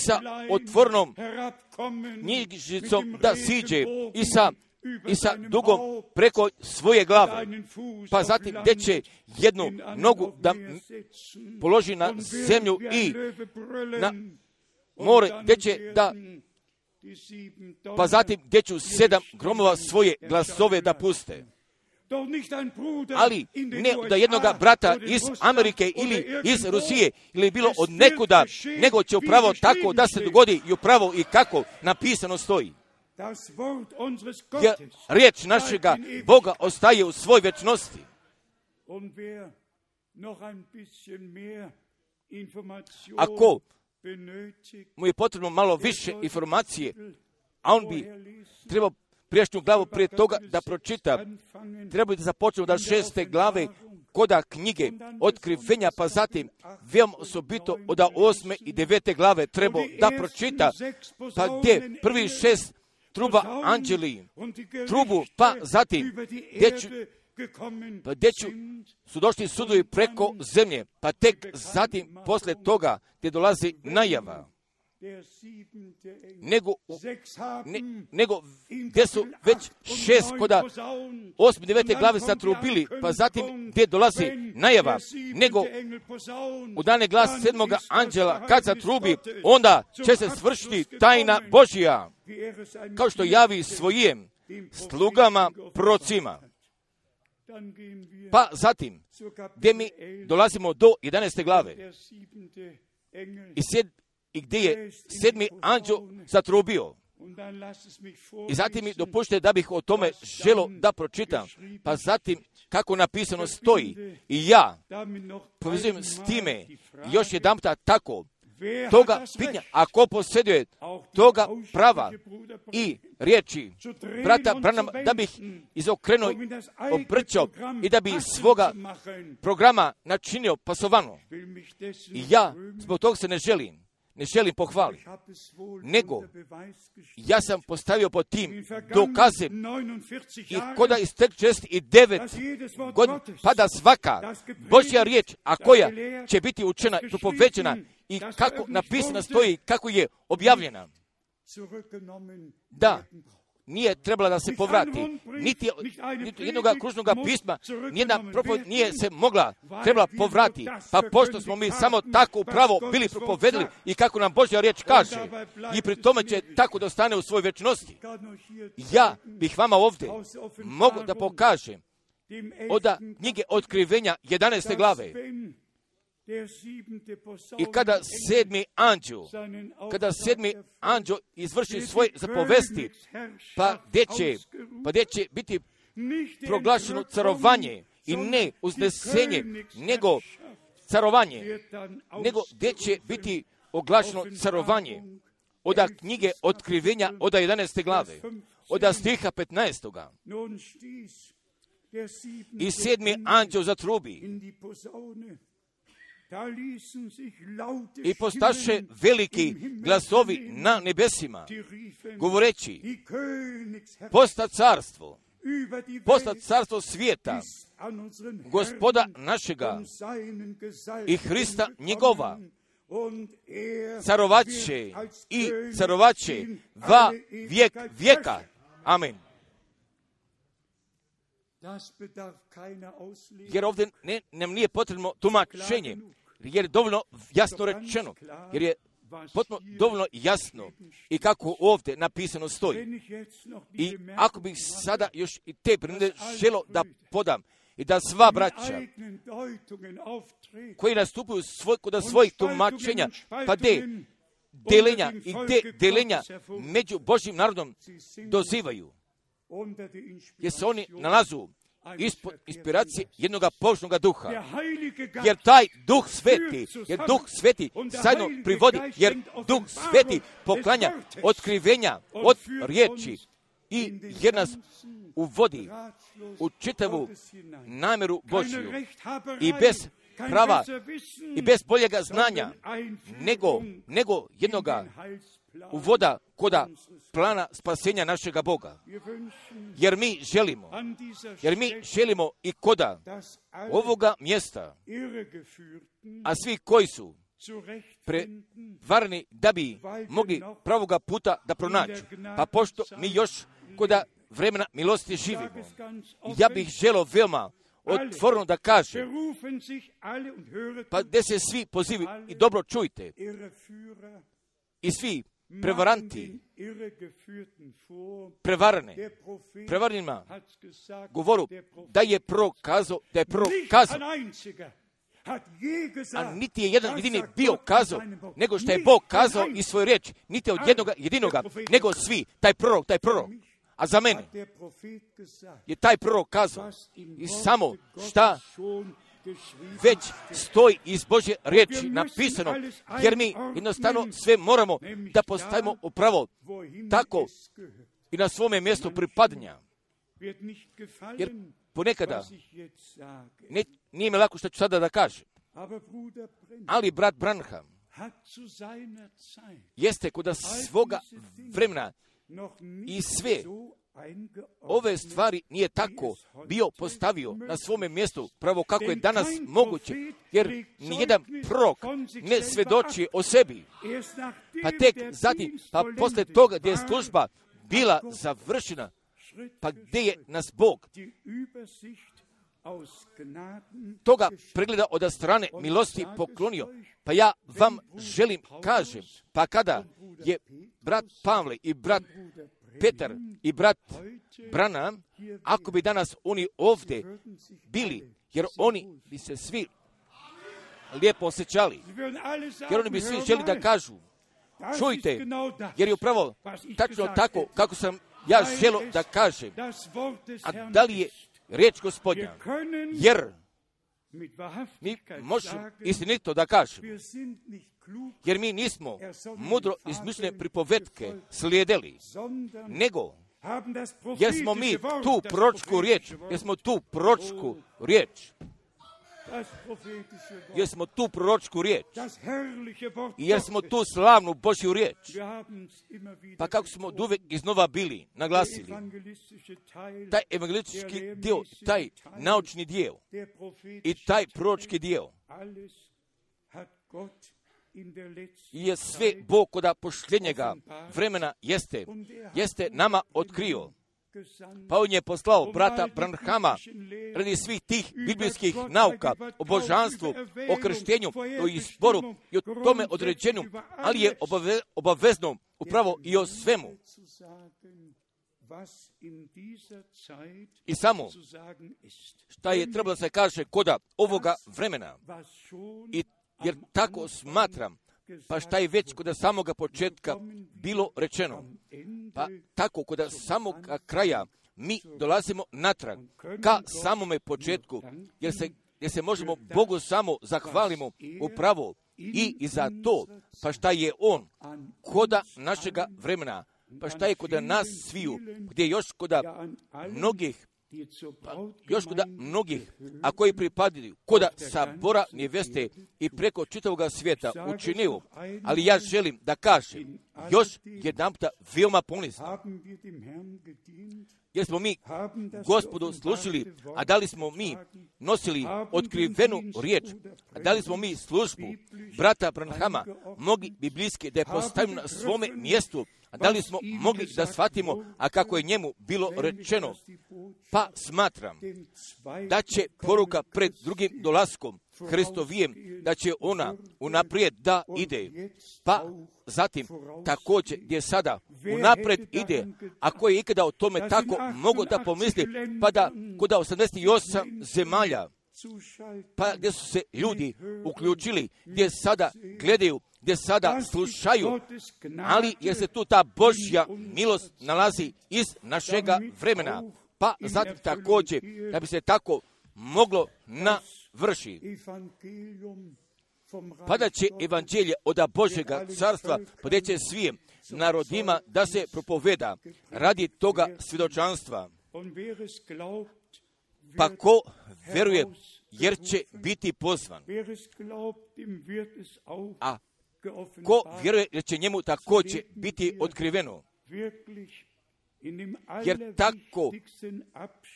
sa otvornom knjižicom da siđe i sa dugom preko svoje glave. Pa zatim gdje će jednu nogu da položi na zemlju i na more, gdje će da, pa zatim gdje ću 7 gromova svoje glasove da puste. Ali ne da jednoga brata iz Amerike ili iz Rusije ili bilo od nekuda, nego će upravo tako da se dogodi i upravo i kako napisano stoji. Jer riječ našega Boga ostaje u svoj večnosti. Ako mu je potrebno malo više informacije, a on bi trebao prijašnju glavu prije toga da pročita, treba da započne od 6. glave koda knjige otkrivenja, pa zatim veoma osobito od 8. i 9. glave treba da pročita, pa gdje prvi 6 truba anđeli trubu, pa zatim gdje su došli sudovi preko zemlje, pa tek zatim posle toga gdje dolazi najava. Nego gdje su već 6 koda 8. i 9. glave zatrubili, pa zatim gdje dolazi najava, nego u dane glas 7. anđela kad zatrubi, onda će se svršiti tajna Božija, kao što javi svojim slugama prorocima. Pa zatim, gdje mi dolazimo do 11. glave i gdje je 7. anđel zatrubio. I zatim mi dopušte da bih o tome želo da pročitam. Pa zatim, kako napisano stoji, i ja povezujem s time još jedanputa tako, toga pitanja, ako posjeduje toga prava i riječi brata Branhama, da bih izokrenuo, obrćao i da bi svoga programa načinio pasovano. I ja zbog toga se ne želim ne želim pohvaliti, nego ja sam postavio pod tim dokazem i koda iz 49 godina pada svaka Božja riječ, a koja će biti učena i propovećena i kako napisana stoji, kako je objavljena. Da, nije trebala da se povrati. Niti jednog kružnog pisma, nijedna propoved nije se trebala povrati. Pa pošto smo mi samo tako upravo bili propovedili i kako nam Božja riječ kaže, i pri tome će tako da ostane u svojoj večnosti. Ja bih vama ovdje mogu da pokažem od knjige Otkrivenja 11. glave. I kada sedmi anđeo izvrši svoje zapovesti, pa gdje će biti proglašeno carovanje i ne uznesenje, nego carovanje, nego gdje će biti oglašeno carovanje od knjige Otkrivenja od 11. glave, od stiha 15. I sedmi anđeo zatrubi i postaše veliki glasovi na nebesima, govoreći, posta carstvo svijeta, Gospoda našega i Hrista njegova, carovaće va vijek vijeka. Amen. Jer ovdje nam nije potrebno tumačenje, jer je dovoljno jasno rečeno, jer je potpuno dovoljno jasno i kako ovdje napisano stoji. I ako bih sada još i te primjere želo da podam i da sva braća koji nastupaju kod svojih tumačenja, pa delenja i te delenja među Božjim narodom dozivaju, jer se oni nalazu ispod inspiracije jednog Božnoga duha. Jer taj Duh Sveti zajedno privodi, jer Duh Sveti poklanja otkrivenja od riječi i jer nas uvodi u čitavu namjeru Božju i bez prava i bez boljega znanja nego jednoga uvoda koda plana spasenja našega Boga. Jer mi želimo i koda ovoga mjesta, a svi koji su prevarni da bi mogli pravoga puta da pronađu. Pa pošto mi još koda vremena milosti živimo, ja bih želio veoma otvoreno da kažem, pa gdje se svi pozivi i dobro čujte, i svi prevaranti, prevaranima govoru da je prokazao, a niti je jedan jedini bio kazao, nego što je Bog kazao i svoju riječ, niti od jednoga jedinoga, nego svi, taj prorok, a za mene je taj prorok kazao i samo šta već stoji iz Božje riječi napisano, jer mi jednostavno sve moramo da postavimo upravo tako i na svome mjestu pripadanja. Jer ponekada nije mi lako što ću sada da kažem, ali brat Branham jeste kod svoga vremena i sve ove stvari nije tako bio postavio na svome mjestu, pravo kako je danas moguće, jer nijedan prorok ne svedoči o sebi. Pa tek zatim, pa posle toga gdje je služba bila završena, pa gdje je nas Bog toga pregleda od strane milosti poklonio. Pa ja vam želim kažem, pa kada je brat Pavle i brat Petar i brat Branham, ako bi danas oni ovdje bili, jer oni bi se svi lijepo osjećali, jer oni bi svi želi da kažu, čujte, jer je upravo tačno tako kako sam ja želo da kažem, a da li je riječ Gospodnja, jer mi možemo istinito da kažemo, jer mi nismo mudro izmišljene pripovetke slijedili, nego jer smo mi tu proročku riječ, jer smo tu proročku riječ, jer smo tu slavnu Božju riječ. Pa kako smo uvijek iznova bili naglasili, taj evangelistički dio, taj naučni dio i taj proročki dio je sve Bog kod posljednjega vremena jeste nama otkrio. Pa on je poslao brata Branhama radi svih tih biblijskih nauka o božanstvu, o krštenju, o izboru i o tome određenju, ali je obavezno upravo i o svemu. I samo šta je trebalo da se kaže koda ovoga vremena. Jer tako smatram, pa šta je već kod samoga početka bilo rečeno, pa tako kod samog kraja mi dolazimo natrag ka samome početku, jer se možemo Bogu samo zahvalimo upravo i za to, pa šta je On koda našega vremena, pa šta je kod nas sviju, gdje još kod mnogih, a koji pripadaju koda sabora neveste i preko čitavoga svijeta učinio, ali ja želim da kažem još jedanputa veoma ponizno, jer smo mi Gospodu slušali, a da li smo mi nosili otkrivenu riječ, a da li smo mi službu brata Branhama mogli biblijski da je postavimo na svome mjestu, a da li smo mogli da shvatimo, a kako je njemu bilo rečeno, pa smatram da će poruka pred drugim dolaskom Hristovijem, da će ona unaprijed da ide, pa zatim također gdje sada unaprijed ide, ako je ikada o tome tako mogu da pomisli, pa da kod 88 zemalja, pa gdje su se ljudi uključili, gdje sada gledaju, gdje sada slušaju, ali jer se tu ta Božja milost nalazi iz našega vremena, pa zatim također da bi se tako moglo navršiti. Pa da će evanđelje od Božjega carstva podeće svim narodima da se propoveda radi toga svjedočanstva. Pa ko veruje, jer će biti pozvan. A ko vjeruje, jer će njemu također biti otkriveno. Jer tako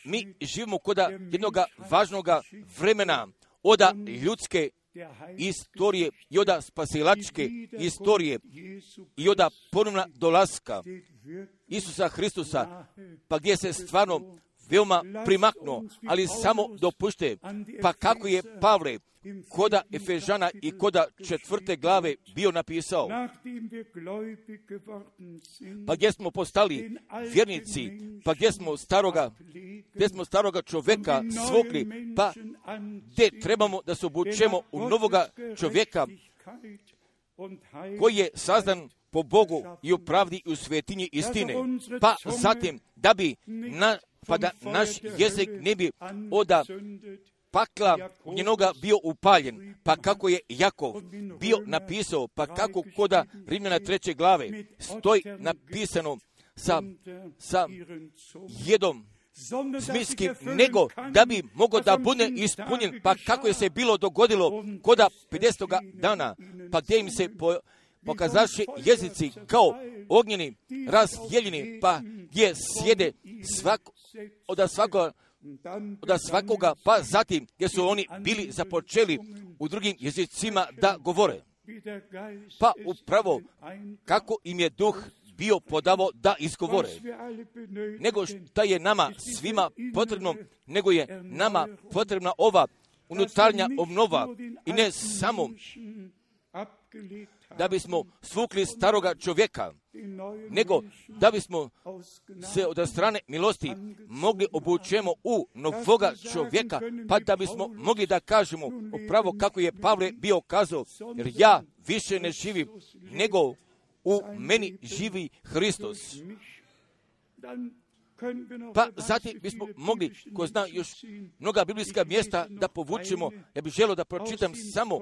mi živimo kod jednog važnog vremena od ljudske istorije i od spasilačke istorije i od ponovna dolaska Isusa Hristusa, pa gdje se stvarno veoma primaknuo, ali samo dopušte, pa kako je Pavle koda Efežana i koda 4. glave bio napisao, pa gdje smo postali vjernici, pa gdje smo staroga čovjeka svukli, pa gdje trebamo da se obučemo u novoga čovjeka koji je sazdan po Bogu i u pravdi i u svetinji istine, pa zatim da bi da naš jezik ne bi od pakla njenoga bio upaljen, pa kako je Jakov bio napisao, pa kako koda Rimljana 3. glave stoji napisano sa jedom smiskim, nego da bi mogao da bude ispunjen, pa kako je se bilo dogodilo koda 50. dana, pa gdje im se pokazaše jezici kao ognjeni, razdijeljeni, pa gdje sjede od svakoga, pa zatim gdje su oni bili započeli u drugim jezicima da govore. Pa upravo kako im je duh bio podavo da izgovore. Nego što je nama svima potrebno, nego je nama potrebna ova unutarnja obnova i ne samo da bismo svukli staroga čovjeka, nego da bismo se od strane milosti mogli obučemo u novoga čovjeka, pa da bismo mogli da kažemo upravo kako je Pavle bio kazao, jer ja više ne živim, nego u meni živi Hristos. Pa zatim bismo mogli, ko zna još mnoga biblijska mjesta da povučemo. Ja bih želio da pročitam samo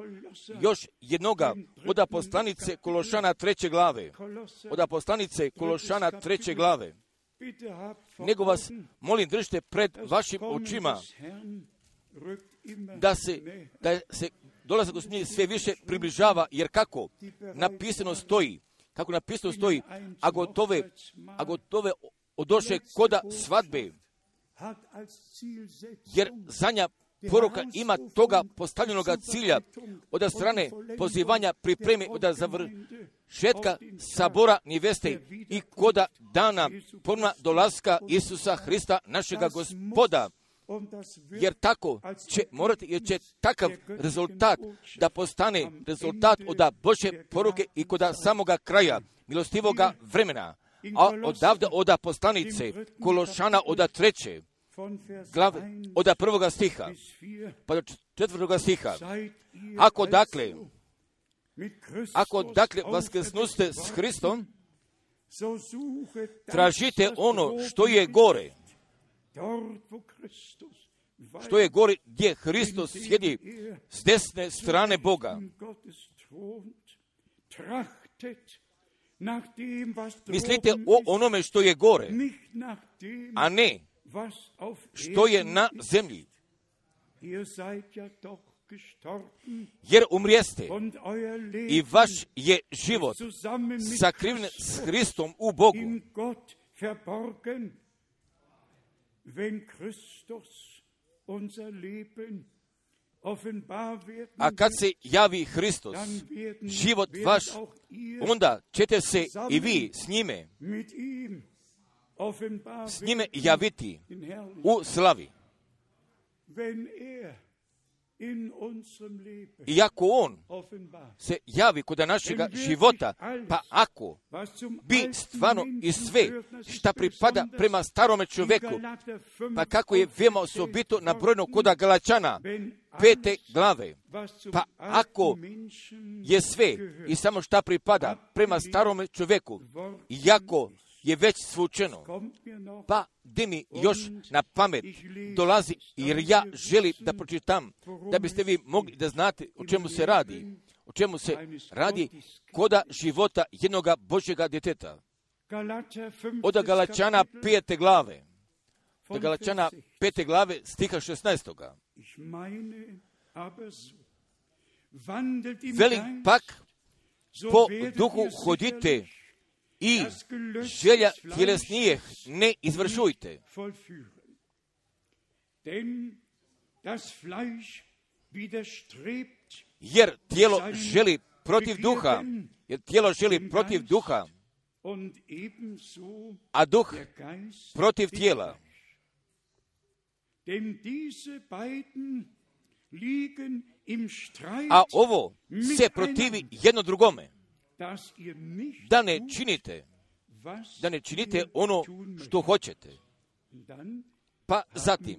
još jednoga od poslanice Kološana 3. glave. Od poslanice Kološana 3. glave. Nego vas molim, držite pred vašim očima da se da se dolazak Gospodnji sve više približava, jer kako napisano stoji, a gotove odoše koda svadbe, jer zadnja poruka ima toga postavljenoga cilja od strane pozivanja pripreme od završetka sabora neveste i koda dana ponovna dolaska Isusa Hrista našega Gospoda. Jer tako će morati, jer će takav rezultat da postane rezultat od Božje poruke i kod samoga kraja milostivoga vremena. A odavde od poslanice Kološana od 3. glave, od 1. stiha pa do 4. stiha. Ako dakle vaskrsnuste s Hristom, tražite ono što je gore, gdje Hristos sjedi s desne strane Boga. Mislite o onome što je gore, a ne što je na zemlji. Jer umrijeste i vaš je život sakriven s Hristom u Bogu. A kad se javi Hristos, život vaš, onda ćete se i vi s njime javiti u slavi. I ako on se javi kod našega života, pa ako bi stvarno i sve šta pripada prema starome čovjeku, pa kako je veoma osobito nabrojeno kod Galačana 5. glave, pa ako je sve i samo šta pripada prema starome čovjeku, iako je već svučeno, pa gdje mi još na pamet dolazi, jer ja želim da pročitam, da biste vi mogli da znate o čemu se radi. O čemu se radi koda života jednoga Božjega djeteta. Od Galačana 5. glave. Od Galačana 5. glave stiha 16. Veli pak po duhu hodite i želja tjelesnijih ne izvršujte. Jer tijelo želi protiv duha, a duh protiv tijela. A ovo se protivi jedno drugome. Da ne činite ono što hoćete. Pa zatim,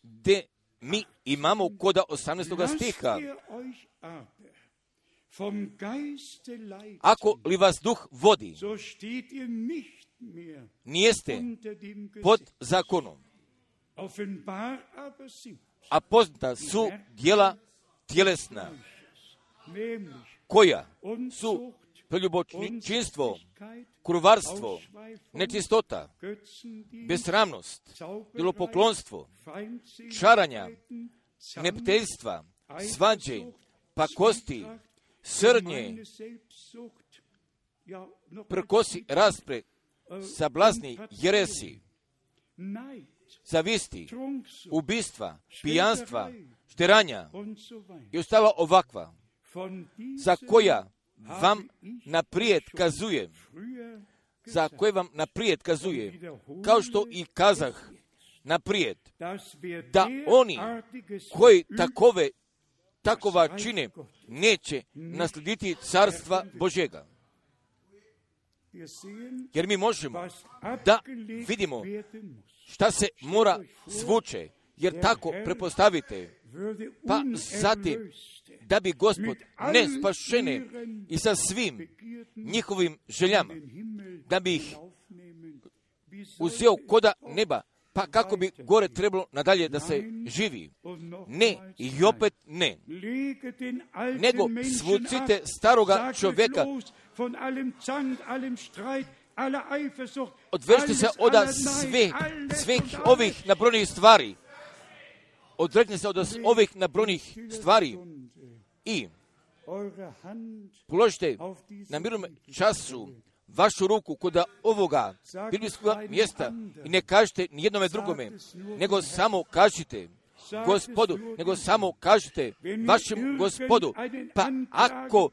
gdje mi imamo koda 18. stiha. Ako li vas duh vodi, nijeste pod zakonom. A poznata su djela tjelesna, koja su preljubočinstvo, kurvarstvo, nečistota, besramnost, idolopoklonstvo, čaranja, neprijateljstva, svađe, pakosti, srdnje, prkosi, raspre, sablazni, jeresi, zavisti, ubistva, pijanstva, šteranja i ostala ovakva, za koja vam naprijed kazuje, kao što i kazah naprijed, da oni koji takova čine neće naslediti carstva Božjega. Jer mi možemo da vidimo šta se mora svuče, jer tako prepostavite, pa zatim da bi Gospod ne spašene i sa svim njihovim željama, da bi ih uzeo koda neba, pa kako bi gore trebalo nadalje da se živi. Ne, i opet ne. Nego svucite staroga čovjeka, odvežite se od svih ovih nabrojenih stvari, odrekne se od ovih nabrojenih stvari i položite na mirnom času vašu ruku kod ovoga biblijskog mjesta i ne kažete ni jednome drugome, nego samo kažite Gospodu, nego samo kažite vašem Gospodu. Pa ako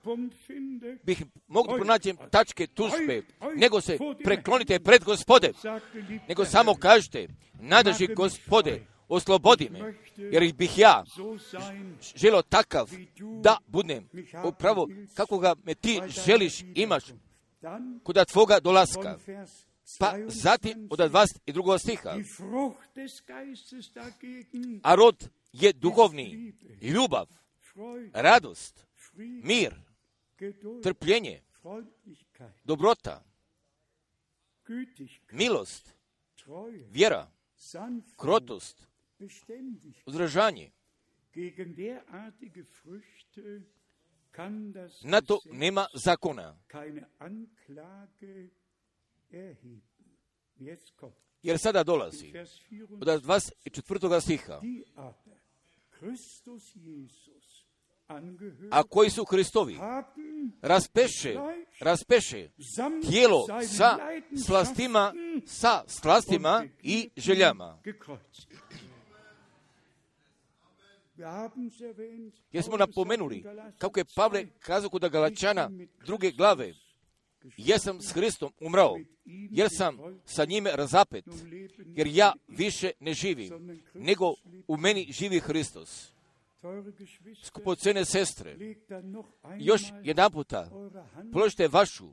bih mogli pronaći tačke tužbe, nego se preklonite pred Gospode, nego samo kažite, nadrži Gospode, oslobodi me, jer bih ja želio takav da budem upravo kako ga me ti želiš imaš kod tvoga dolaska. Pa zatim od 22. stiha, a rod je duhovni, ljubav, radost, mir, trpljenje, dobrota, milost, vjera, krotost, uzdržanje. Na to nema zakona. Jer sada dolazi od 24. stiha, a koji su Hristovi raspeše tijelo sa slastima i željama. Jer smo napomenuli kako je Pavle kazao kod Galačana 2. glave, jer sam s Hristom umrao, jer sam sa njime razapet, jer ja više ne živim, nego u meni živi Hristos. Skupocene sestre, još jedan puta položite vašu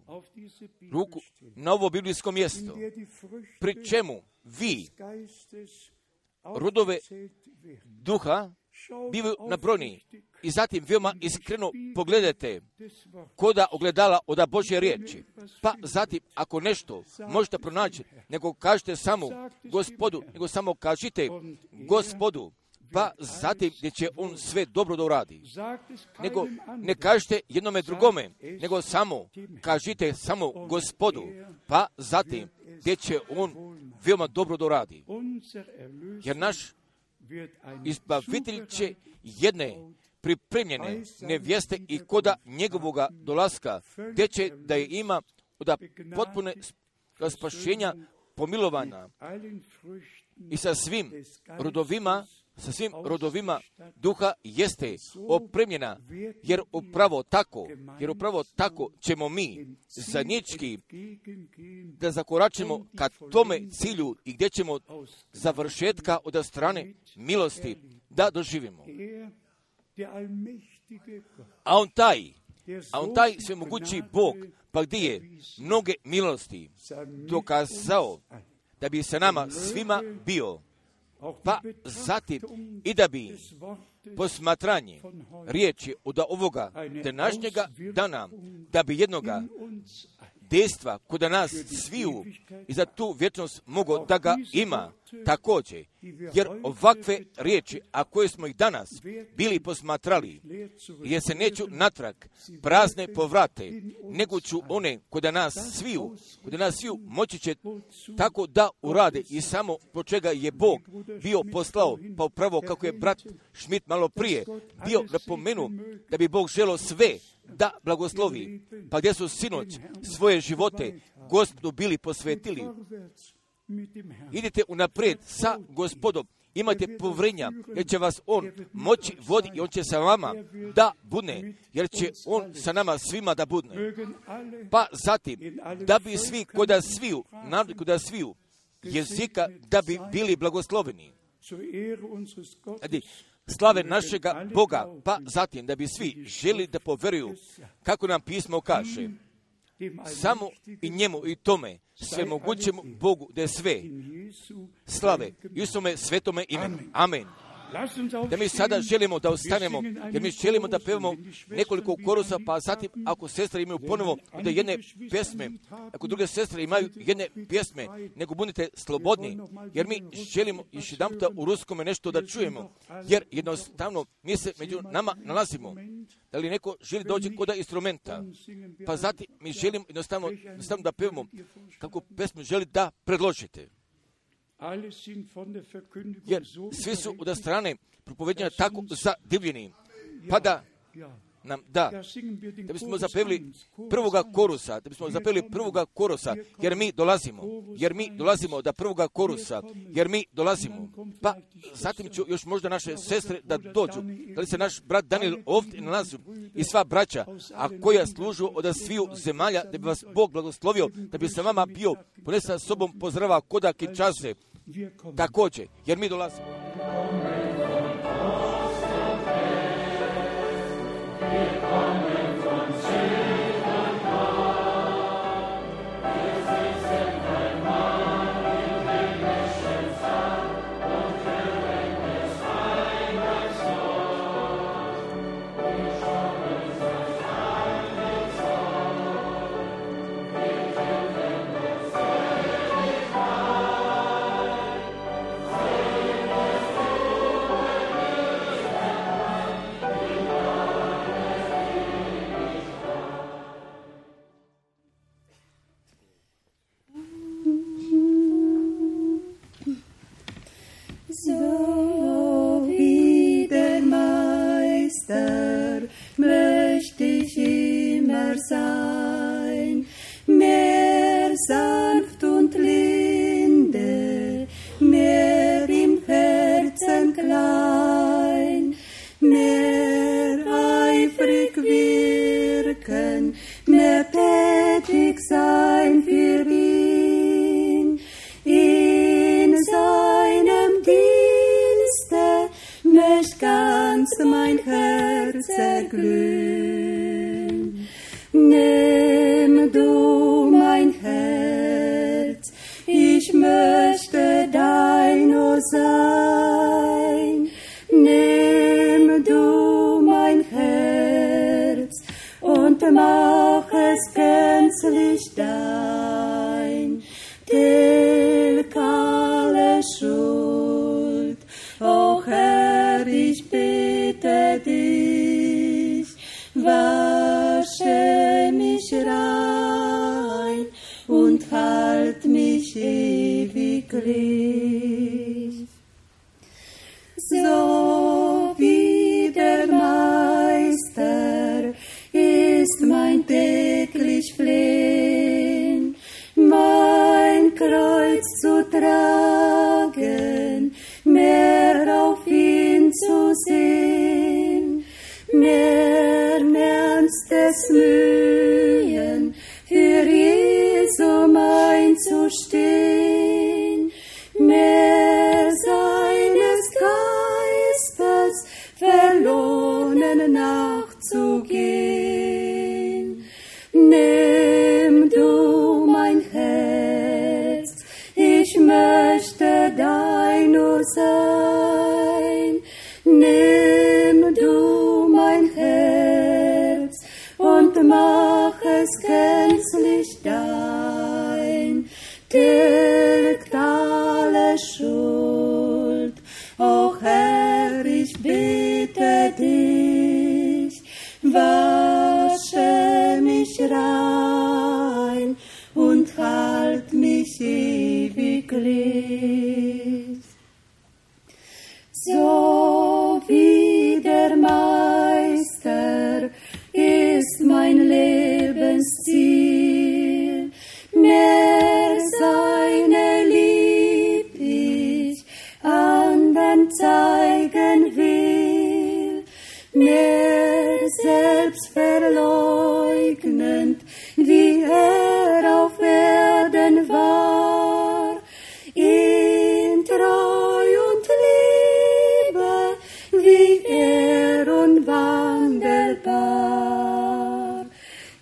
ruku na ovo biblijsko mjesto, pri čemu vi rodove duha bivaju nabrojeni i zatim veoma iskreno pogledajte koda ogledala od Božje riječi. Pa zatim, ako nešto možete pronaći, nego kažete samo Gospodu, nego samo kažite Gospodu, pa zatim gdje će on sve dobro da uradi. Nego ne kažete jednome drugome, nego samo kažite samo Gospodu, pa zatim gdje će on veoma dobro da uradi. Jer naš izbavitelj će jedne pripremljene nevjeste i koda njegovoga dolaska, gdje će da je ima od potpune spašenja pomilovanja i sa svim rodovima duha jeste opremljena, jer upravo tako ćemo mi zajednički da zakoračimo ka tome cilju i gdje ćemo završetka od strane milosti da doživimo. A on taj svemogući Bog, pa gdje je mnoge milosti dokazao da bi se nama svima bio, pa zatim i da bi posmatranje riječi od ovoga današnjega dana, da bi jednoga dejstva kod nas sviju i za tu vječnost mogo da ga ima također. Jer ovakve riječi, a koje smo ih danas bili posmatrali, jer se neću natrag prazne povrate, nego ću one kod nas sviju moći će tako da urade i samo po čega je Bog bio poslao, pa upravo kako je brat Schmidt malo prije bio napomenuo da bi Bog želio sve da blagoslovi, pa gdje su sinoć svoje živote Gospodu bili posvetili. Idite unaprijed sa Gospodom, imajte povjerenja, jer će vas on moći voditi i on će sa vama da budne, jer će on sa nama svima da budne. Pa zatim, da bi svi koda sviju jezika, da bi bili blagosloveni. Slave našega Boga, pa zatim da bi svi želi da poveruju, kako nam pismo kaže, samo i njemu i tome svemogućemu Bogu da je sve slave Isuse svetome imenu. Amen. Da mi sada želimo da ostanemo, jer mi želimo da pevamo nekoliko korusa, pa zatim ako sestre imaju ponovo da jedne pjesme, ako druge sestre imaju jedne pjesme, nego budite slobodni, jer mi želimo još jedan puta u ruskome nešto da čujemo, jer jednostavno mi se među nama nalazimo. Da li neko želi doći kod instrumenta, pa zatim mi želimo jednostavno da pevamo kako pjesmu želi da predložite. jer svi su od strane propovedanja tako zadivljeni. Pa da nam da bismo zapevili prvoga korusa, jer mi dolazimo do prvoga korusa, Pa zatim ću još možda naše sestre da dođu, da li se naš brat Daniel ovdje nalazi i sva braća, a koja služu od sviju zemalja, da bi vas Bog blagoslovio, da bi se vama bio ponesa sobom pozdrava koda Kinčase, također, jer mi dolazimo. So wie der Meister möchte ich immer sein, mehr sanft und linde, mehr im Herzen klein, mehr eifrig wirken, mehr tätig sein für ihn. In seinem Dienste möcht ganz mein Herz erglühen. Nimm du mein Herz, ich möchte dein nur sein. Nimm du mein Herz und mach es gänzlich dein. Tilg alle Schuld, o Herr, ich bitte dich, wasche mich rein und halt mich ewiglich. So wie der Meister ist mein täglich Flehen, mein Kreuz zu tragen, mehr auf ihn zu sehen, mehr ernstes Mühen für Jesum einzustehen, mehr seines Geistes verlohnen nachzugehen. Nimm du mein Herz, ich möchte dein nur sein. Nimm du mein Herz und mach es gänzlich dein. Tilgt alle Schuld, o Herr, ich bitte dich, wasche mich rein und halt mich ewiglich. So wie der Meister ist mein Lebensziel, mehr seine Lieb ich anderen zeigen will, mehr selbstverleugnend, wie er auf Erden war, in Treu und Liebe, wie er unwandelbar.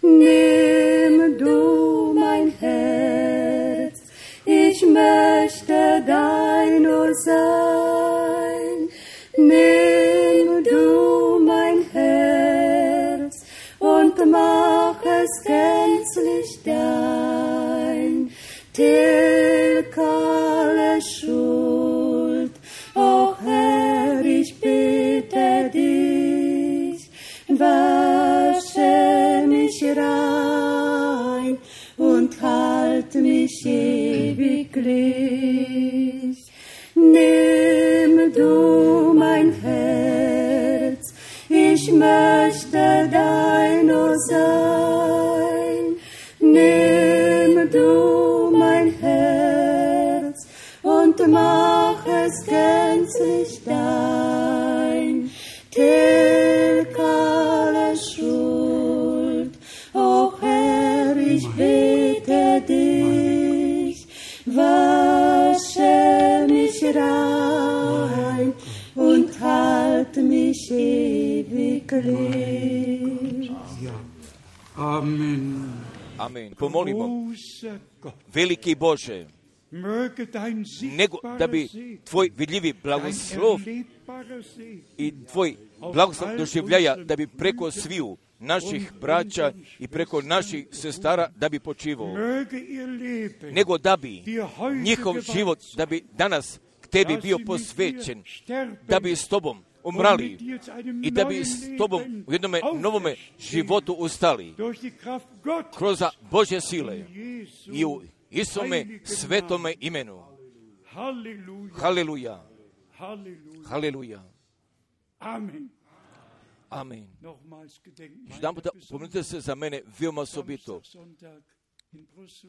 Nimm du mein Herz, ich möchte dein nur sein. Nimm du mein Herz und mach es gänzlich dein. Tilg alle Schuld, o Herr, ich bitte dich, wasche mich rein und halt mich ewiglich. ich möchte dein nur sein. Nimm du mein Herz und mach es gänzlich dein. Tilg alle Schuld, o Herr, ich bete dich, wasche mich rein und halt mich ewig rein. Ja. Amen. Amen. Pomolimo, veliki Bože, nego da bi tvoj vidljivi blagoslov i tvoj blagoslov doživljaja, da bi preko sviju naših braća i preko naših sestara da bi počivao, nego da bi njihov život, da bi danas k tebi bio posvećen, da bi s tobom umrali i da bi s tobom u jednome novome životu ustali kroz Božje sile i u Isome svetome imenu. Haleluja. Haleluja. Amen. Još jedan puta pomenite se za mene veoma osobito.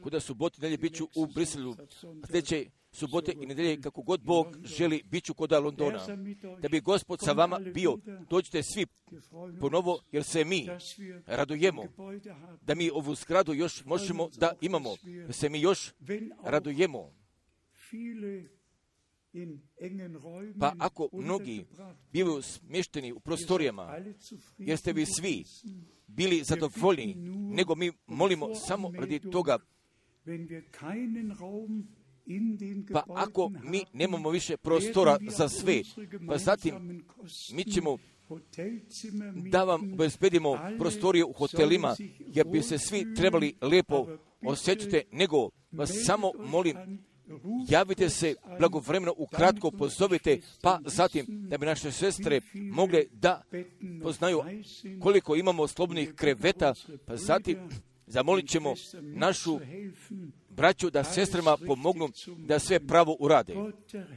Kuda subote i nedelje bit ću u Briselu, a sljedeće subote i nedelje kako god Bog želi bit ću koda Londona. Da bi Gospod sa vama bio, dođite svi ponovo jer se mi radujemo. Da mi ovu zgradu još možemo da imamo, da se mi još radujemo. Pa ako mnogi bivaju smješteni u prostorijama, jer ste vi svi bili zadovoljni, nego mi molimo samo radi toga. Pa ako mi nemamo više prostora za sve, pa zatim mi ćemo da vam obezbedimo prostorije u hotelima, jer bi se svi trebali lijepo osjećati, nego vas samo molim, javite se blagovremeno, ukratko pozovite, pa zatim da bi naše sestre mogle da poznaju koliko imamo slobodnih kreveta, pa zatim zamolit ćemo našu braću da sestrama pomognu da sve pravo urade.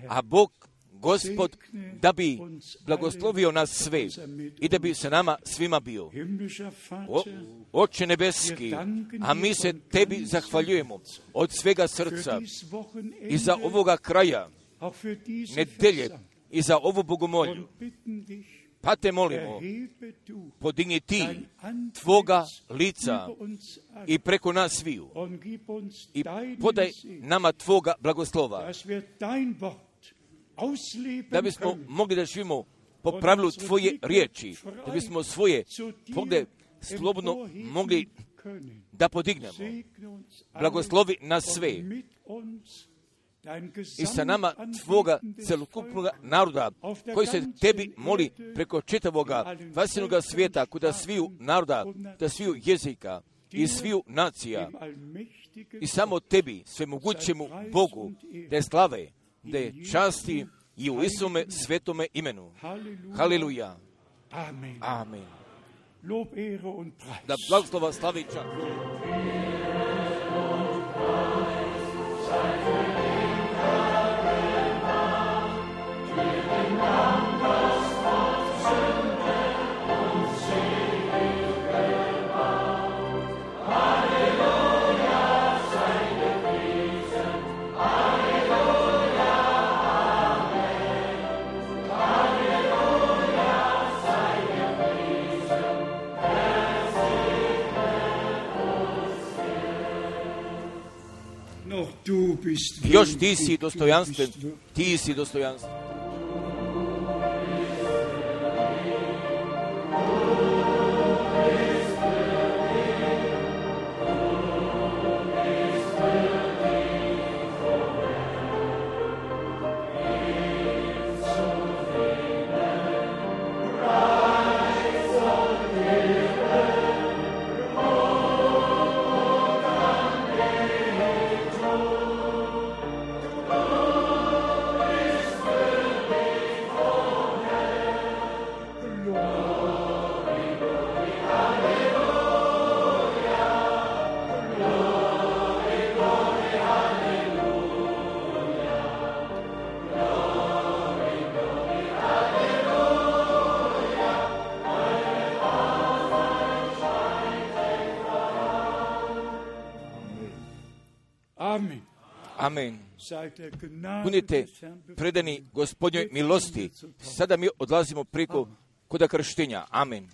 A Bog, Gospod, da bi blagoslovio nas sve i da bi se nama svima bio. Oče nebeski, a mi se tebi zahvaljujemo od svega srca i za ovoga kraja nedelje i za ovu bogomolju. Pa te molimo, podigni ti tvoga lica i preko nas sviju i podaj nama tvoga blagoslova, da bismo mogli da živimo po pravilu tvoje riječi, da bismo svoje poglede slobodno mogli da podignemo. Blagoslovi nas sve i sa nama tvoga celokupnog naroda koji se tebi moli preko čitavoga vasinoga svijeta, kuda sviju naroda, da sviju jezika i sviju nacija i samo tebi, svemogućemu Bogu, da je slave, da je časti i u Isome svetome imenu. Haleluja. Amen. Da blagoslova slavi čast. Još ti si dostojanstven, ti si dostojanstven. Amen. Budite predani Gospodnjoj milosti. Sada mi odlazimo preko koda krštenja. Amen.